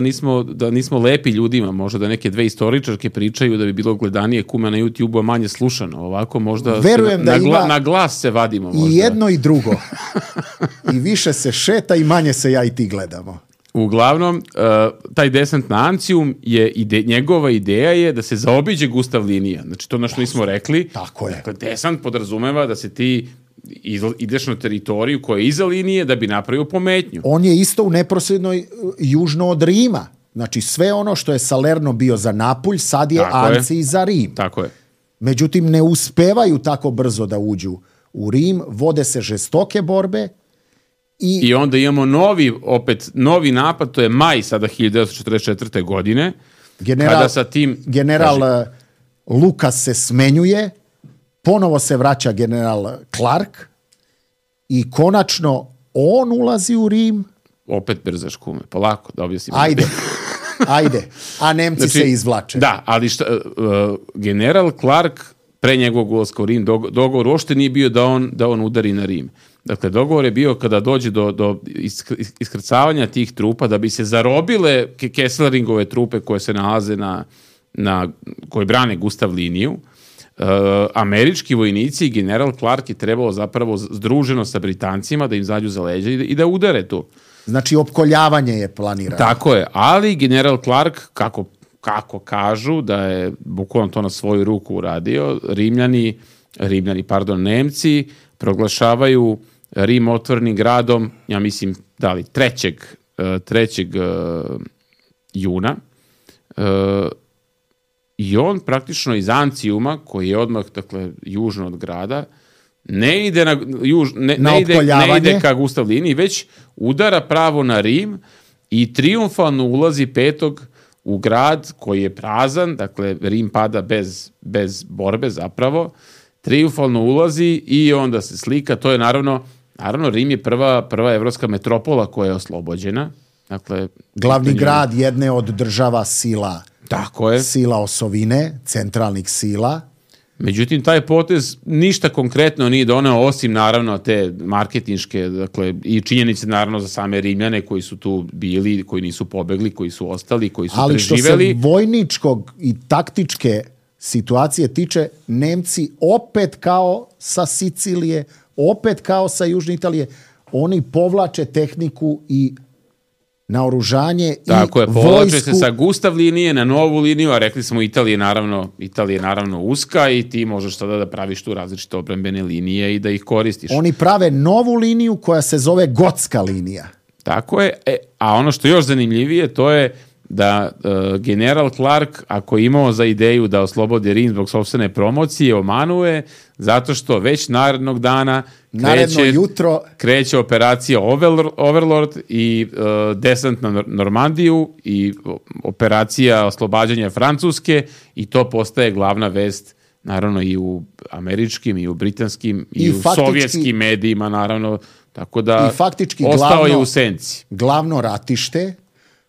nismo lepi ljudima, možda da neke dve istoričarke pričaju da bi bilo gledanije kume na YouTube-u, a manje slušano. Ovako možda verujem da na glas se vadimo možda. I jedno i drugo. I više se šeta i manje se ja i ti gledamo. Uglavnom, taj desant na Ancium njegova ideja je da se zaobiđe Gustav linija. Znači, to na što nismo rekli. Tako je. Dakle, desant podrazumeva da se ti ideš na teritoriju koja je iza linije da bi napravio pometnju. On je isto u neposrednoj južno od Rima. Znači, sve ono što je Salerno bio za Napulj, sad je Ancij za Rim. Tako je. Međutim, ne uspevaju tako brzo da uđu u Rim, vode se žestoke borbe. I onda imamo novi napad, to je maj sada 1944. godine. General Lukas se smenjuje, ponovo se vraća general Clark i konačno on ulazi u Rim. Opet brzaš kume, polako da objasnim. Ajde, a Nemci se izvlače. Da, ali general Clark pre njegovog ulaska u Rim, dogovor uopšte nije bio da on udari na Rim. Dakle, dogovor je bio kada dođe do iskrcavanja tih trupa, da bi se zarobile Kesselringove trupe koje se nalaze koje brane Gustav liniju, američki vojnici i general Clark je trebalo zapravo združeno sa Britancima da im zađu za leđa i da udare tu. Znači, opkoljavanje je planirano. Tako je, ali general Clark, kako kažu, da je bukvalno to na svoju ruku uradio, Nemci proglašavaju Rim otvorenim gradom, ja mislim, 3. juna. I on praktično iz Ancijuma, koji je odmah, dakle, južno od grada, ne ide ne ide ka Gustav liniji, već udara pravo na Rim i trijumfalno ulazi 5. u grad koji je prazan, dakle Rim pada bez borbe zapravo, trijumfalno ulazi i onda se slika, to je naravno Rim je prva evropska metropola koja je oslobođena. Dakle, glavni grad jedne od država sila. Tako je. Sila osovine, centralnih sila. Međutim, taj potez ništa konkretno nije doneo, osim naravno te marketinške, dakle, i činjenice naravno za same Rimljane koji su tu bili, koji nisu pobegli, koji su ostali, koji su preživeli. Ali što se vojničkog i taktičke situacije tiče, Nemci opet kao sa Sicilije, opet kao sa Južne Italije, oni povlače tehniku i naoružanje tako i je, povlače vojsku. se sa Gustav linije na novu liniju, a rekli smo Italija je naravno uska i ti možeš sada da praviš tu različite obrambene linije i da ih koristiš. Oni prave novu liniju koja se zove Gotska linija. Tako je, a ono što je još zanimljivije to je da general Clark, ako je imao za ideju da oslobodi Rim zbog sopstvene promocije, omanuje, zato što već narednog dana kreće operacija Overlord i desant na Normandiju i operacija oslobađanja Francuske i to postaje glavna vest naravno i u američkim i u britanskim i u sovjetskim medijima naravno, tako da ostao je u senci. Glavno ratište.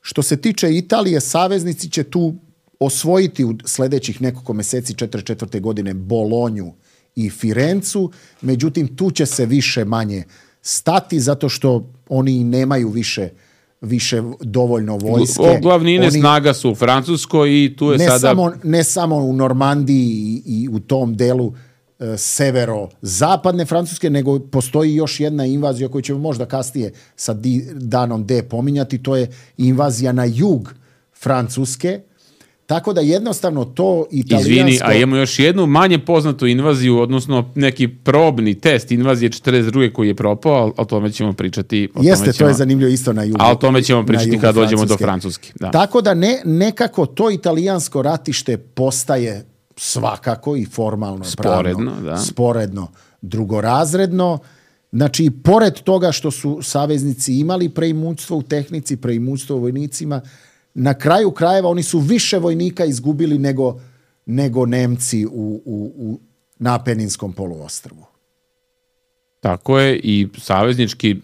Što se tiče Italije, saveznici će tu osvojiti u sljedećih nekoliko mjeseci 44. godine Bolonju i Firencu, međutim tu će se više manje stati zato što oni nemaju više dovoljno vojske. Glavnine snaga su u Francuskoj i tu je ne samo u Normandiji i u tom delu severo-zapadne Francuske, nego postoji još jedna invazija koju ćemo možda kasnije sa danom D pominjati, to je invazija na jug Francuske. Tako da jednostavno to italijansko... Izvini, a imamo još jednu manje poznatu invaziju, odnosno neki probni test invazije 42. koji je propao, ali o tome ćemo pričati. To je zanimljivo isto na jugu. Ali o tome ćemo pričati kad dođemo do Francuske. Da. Tako da nekako to italijansko ratište postaje svakako i formalno, sporedno, drugorazredno. Znači, pored toga što su saveznici imali preimućstvo u tehnici, preimućstvo u vojnicima, na kraju krajeva oni su više vojnika izgubili nego Nemci na Apeninskom poluostrvu. Tako je, i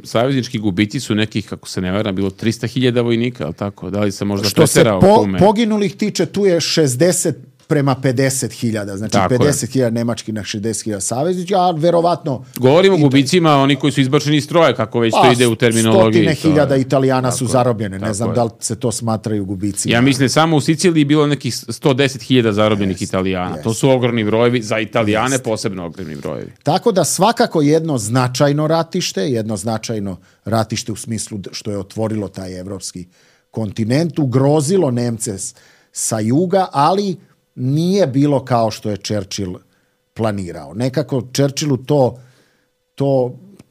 saveznički gubici su nekih, kako se ne varam, bilo 300.000 vojnika, ali tako? Da li se možda preterao kume? Što se poginulih tiče, tu je 60 prema 50.000, znači 50.000 nemački na 60.000 saveznički, a verovatno... Govorimo o gubicima, oni koji su izbačeni iz stroja, kako već to ide u terminologiji. 100.000 Italijana su zarobljene, ne znam da li se to smatraju gubicima. Ja mislim, samo u Siciliji bilo nekih 110.000 zarobljenih Italijana. To su ogromni brojevi, za Italijane posebno ogromni brojevi. Tako da svakako jedno značajno ratište u smislu što je otvorilo taj evropski kontinent, ugrozilo Nemce sa juga, ali nije bilo kao što je Churchill planirao. Nekako Churchillu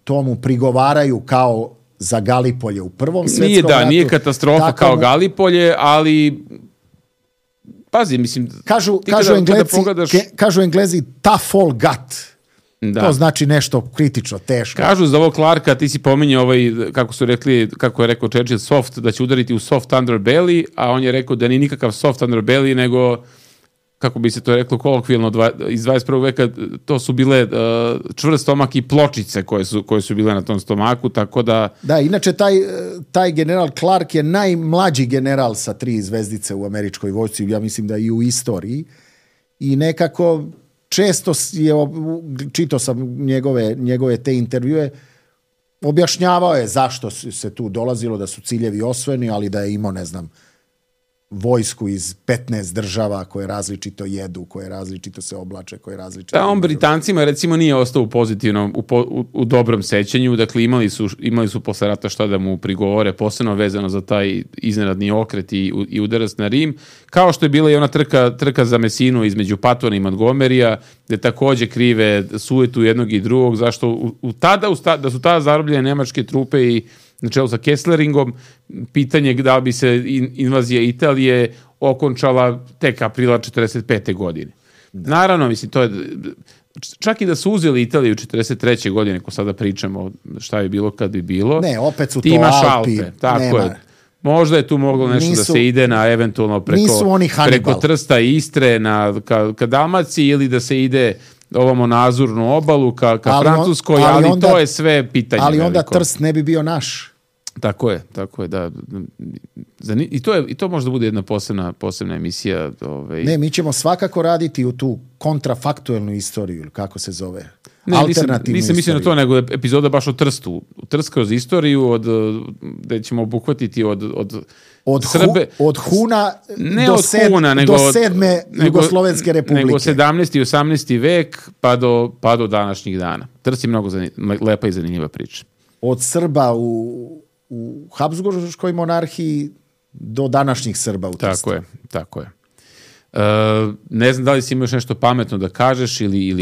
to mu prigovaraju kao za Galipolje u Prvom svjetskom ratu. Nije katastrofa kao Galipolje, ali pazi, mislim... Kažu Englezi tough all gut. Da. To znači nešto kritično, teško. Kažu za ovog Clarka, ti si pominjao kako je rekao Churchill, soft, da će udariti u soft underbelly, a on je rekao da nije nikakav soft underbelly, nego, kako bi se to reklo kolokvijalno, iz 21. veka, to su bile čvrst stomak i pločice koje su bile na tom stomaku, tako da... Da, inače taj general Clark je najmlađi general sa 3 zvezdice u američkoj vojsci, ja mislim da i u istoriji, i nekako često je, čitao sam njegove te intervjue, objašnjavao je zašto se tu dolazilo, da su ciljevi osvojeni, ali da je imao, ne znam, vojsku iz 15 država koje različito jedu, koje različito se oblače, koje različito... Da, on Britancima recimo nije ostao u pozitivnom, u dobrom sećanju, dakle imali su posle rata šta da mu prigovore, posebno vezano za taj iznenadni okret i udarac na Rim, kao što je bila i ona trka za Mesinu između Patona i Montgomerya, gde takođe krive sujetu jednog i drugog, zašto da su tada zarobljene nemačke trupe i na čelu sa Kessleringom, pitanje da bi se invazija Italije okončala tek aprila 45. godine. Da. Naravno, mislim, to je čak i da su uzeli Italiju 43. godine, ko sada pričamo šta bi bilo kad bi bilo. Ne, opet su ti to imaš Alpi. Tako nema. je. Možda je tu moglo nešto da se ide na eventualno preko Trsta i Istre ka Dalmaciji ili da se ide ovamo na Azurnu obalu ka Francuskoj, ali onda, to je sve pitanje. Ali onda veliko. Trst ne bi bio naš. Tako je, da. I to možda bude jedna posebna emisija. Ne, mi ćemo svakako raditi u tu kontrafaktuelnu istoriju, ili kako se zove. Ne, nisam mislio na to, nego epizoda baš o Trstu. Trst kroz istoriju, gde ćemo obuhvatiti od Srbe. Od Huna ne do, od Huna, do 7. Jugoslovenske republike. Nego 17. i 18. vek pa do današnjih dana. Trst je mnogo lepa i zanimljiva priča. Od Srba u Habsburškoj monarhiji do današnjih Srba u Trstu. Tako je. Ne znam da li si imaš nešto pametno da kažeš ili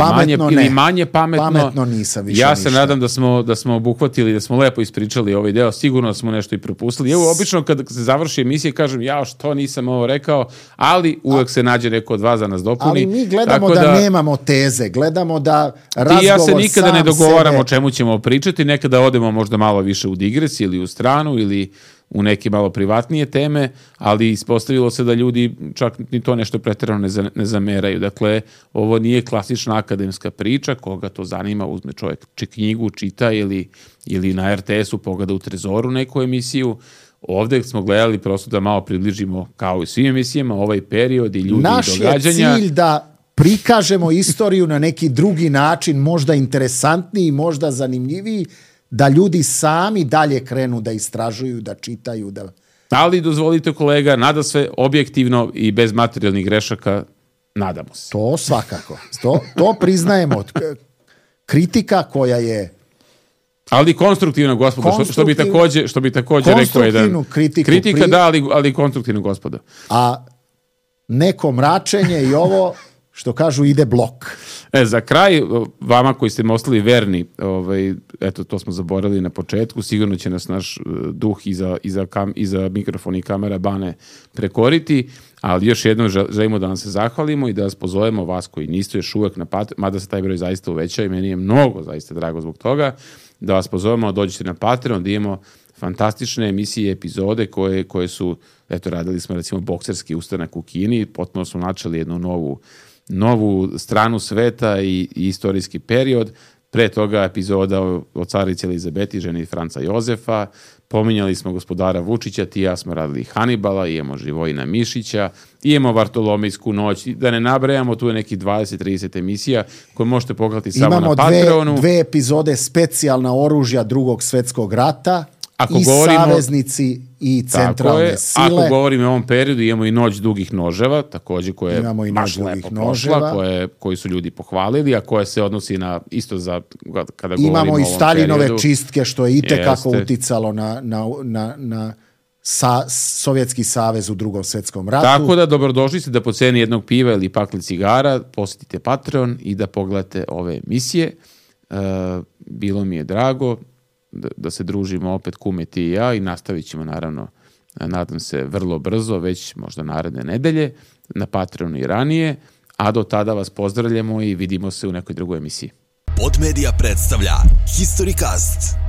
manje pametno. Pametno nisam više Ja se ništa. nadam da smo obuhvatili, da smo lepo ispričali ovaj deo. Sigurno smo nešto i propustili. Evo, obično kad se završi emisija kažem što nisam ovo rekao, ali uvek se nađe neko od vas da nas dopuni. Ali mi gledamo da nemamo teze, gledamo da razgovor ja se nikada ne dogovaramo sebe... o čemu ćemo pričati, nekada odemo možda malo više u digres ili u stranu ili u neke malo privatnije teme, ali ispostavilo se da ljudi čak ni to nešto preterano ne zameraju. Dakle, ovo nije klasična akademska priča, koga to zanima, uzme čovjek knjigu, čita ili na RTS-u pogleda u Trezoru neku emisiju. Ovdje smo gledali prosto da malo približimo, kao i svim emisijama, ovaj period i ljudi i događanja. Naš je cilj da prikažemo istoriju na neki drugi način, možda interesantniji, možda zanimljiviji, da ljudi sami dalje krenu da istražuju, da čitaju. Ali dozvolite kolega, nada sve objektivno i bez materijalnih grešaka, nadamo se. To svakako. To priznajemo. Kritika koja je... Ali konstruktivno, gospodo, što bi također rekao jedan... Kritika, da, ali konstruktivno, gospodo. A neko mračenje i ovo... što kažu, ide blok. Za kraj, vama koji ste mi ostali verni, eto, to smo zaboravili na početku, sigurno će nas naš duh iza mikrofona i kamera Bane prekoriti, ali još jednom želimo da vam se zahvalimo i da vas pozovemo, vas koji niste još uvek na Patreon, mada se taj broj zaista uveća i meni je mnogo zaista drago zbog toga, da vas pozovemo, dođete na Patreon, da imamo fantastične emisije, epizode koje su, eto, radili smo recimo bokserski ustanak u Kini, potpuno smo načeli jednu novu stranu sveta i istorijski period. Pre toga epizoda o carici Elizabeti, ženi Franca Jozefa, pominjali smo gospodara Vučića, ti i ja smo radili Hanibala, imamo Živojina Mišića, imamo Vartolomejsku noć, da ne nabrajamo, tu je neki 20-30 emisija koje možete pogledati samo na Patreonu. Imamo dve epizode specijalna oružja Drugog svjetskog rata, saveznici i centralne sile. Ako govorimo o ovom periodu, imamo i Noć dugih noževa, također koje je baš lepo prošla, koji su ljudi pohvalili, a koje se odnosi na isto za kada govorimo o ovom periodu. Imamo i Staljinove čistke, što je itekako uticalo na Sovjetski savez u Drugom svjetskom ratu. Tako da dobrodošli ste da po ceni jednog piva ili pakli cigara posjetite Patreon i da pogledate ove emisije. Bilo mi je drago da se družimo opet kume ti i ja i nastavit ćemo naravno, nadam se, vrlo brzo, već možda naredne nedelje, na Patreonu i ranije, a do tada vas pozdravljamo i vidimo se u nekoj drugoj emisiji. Podmedia predstavlja Historicast.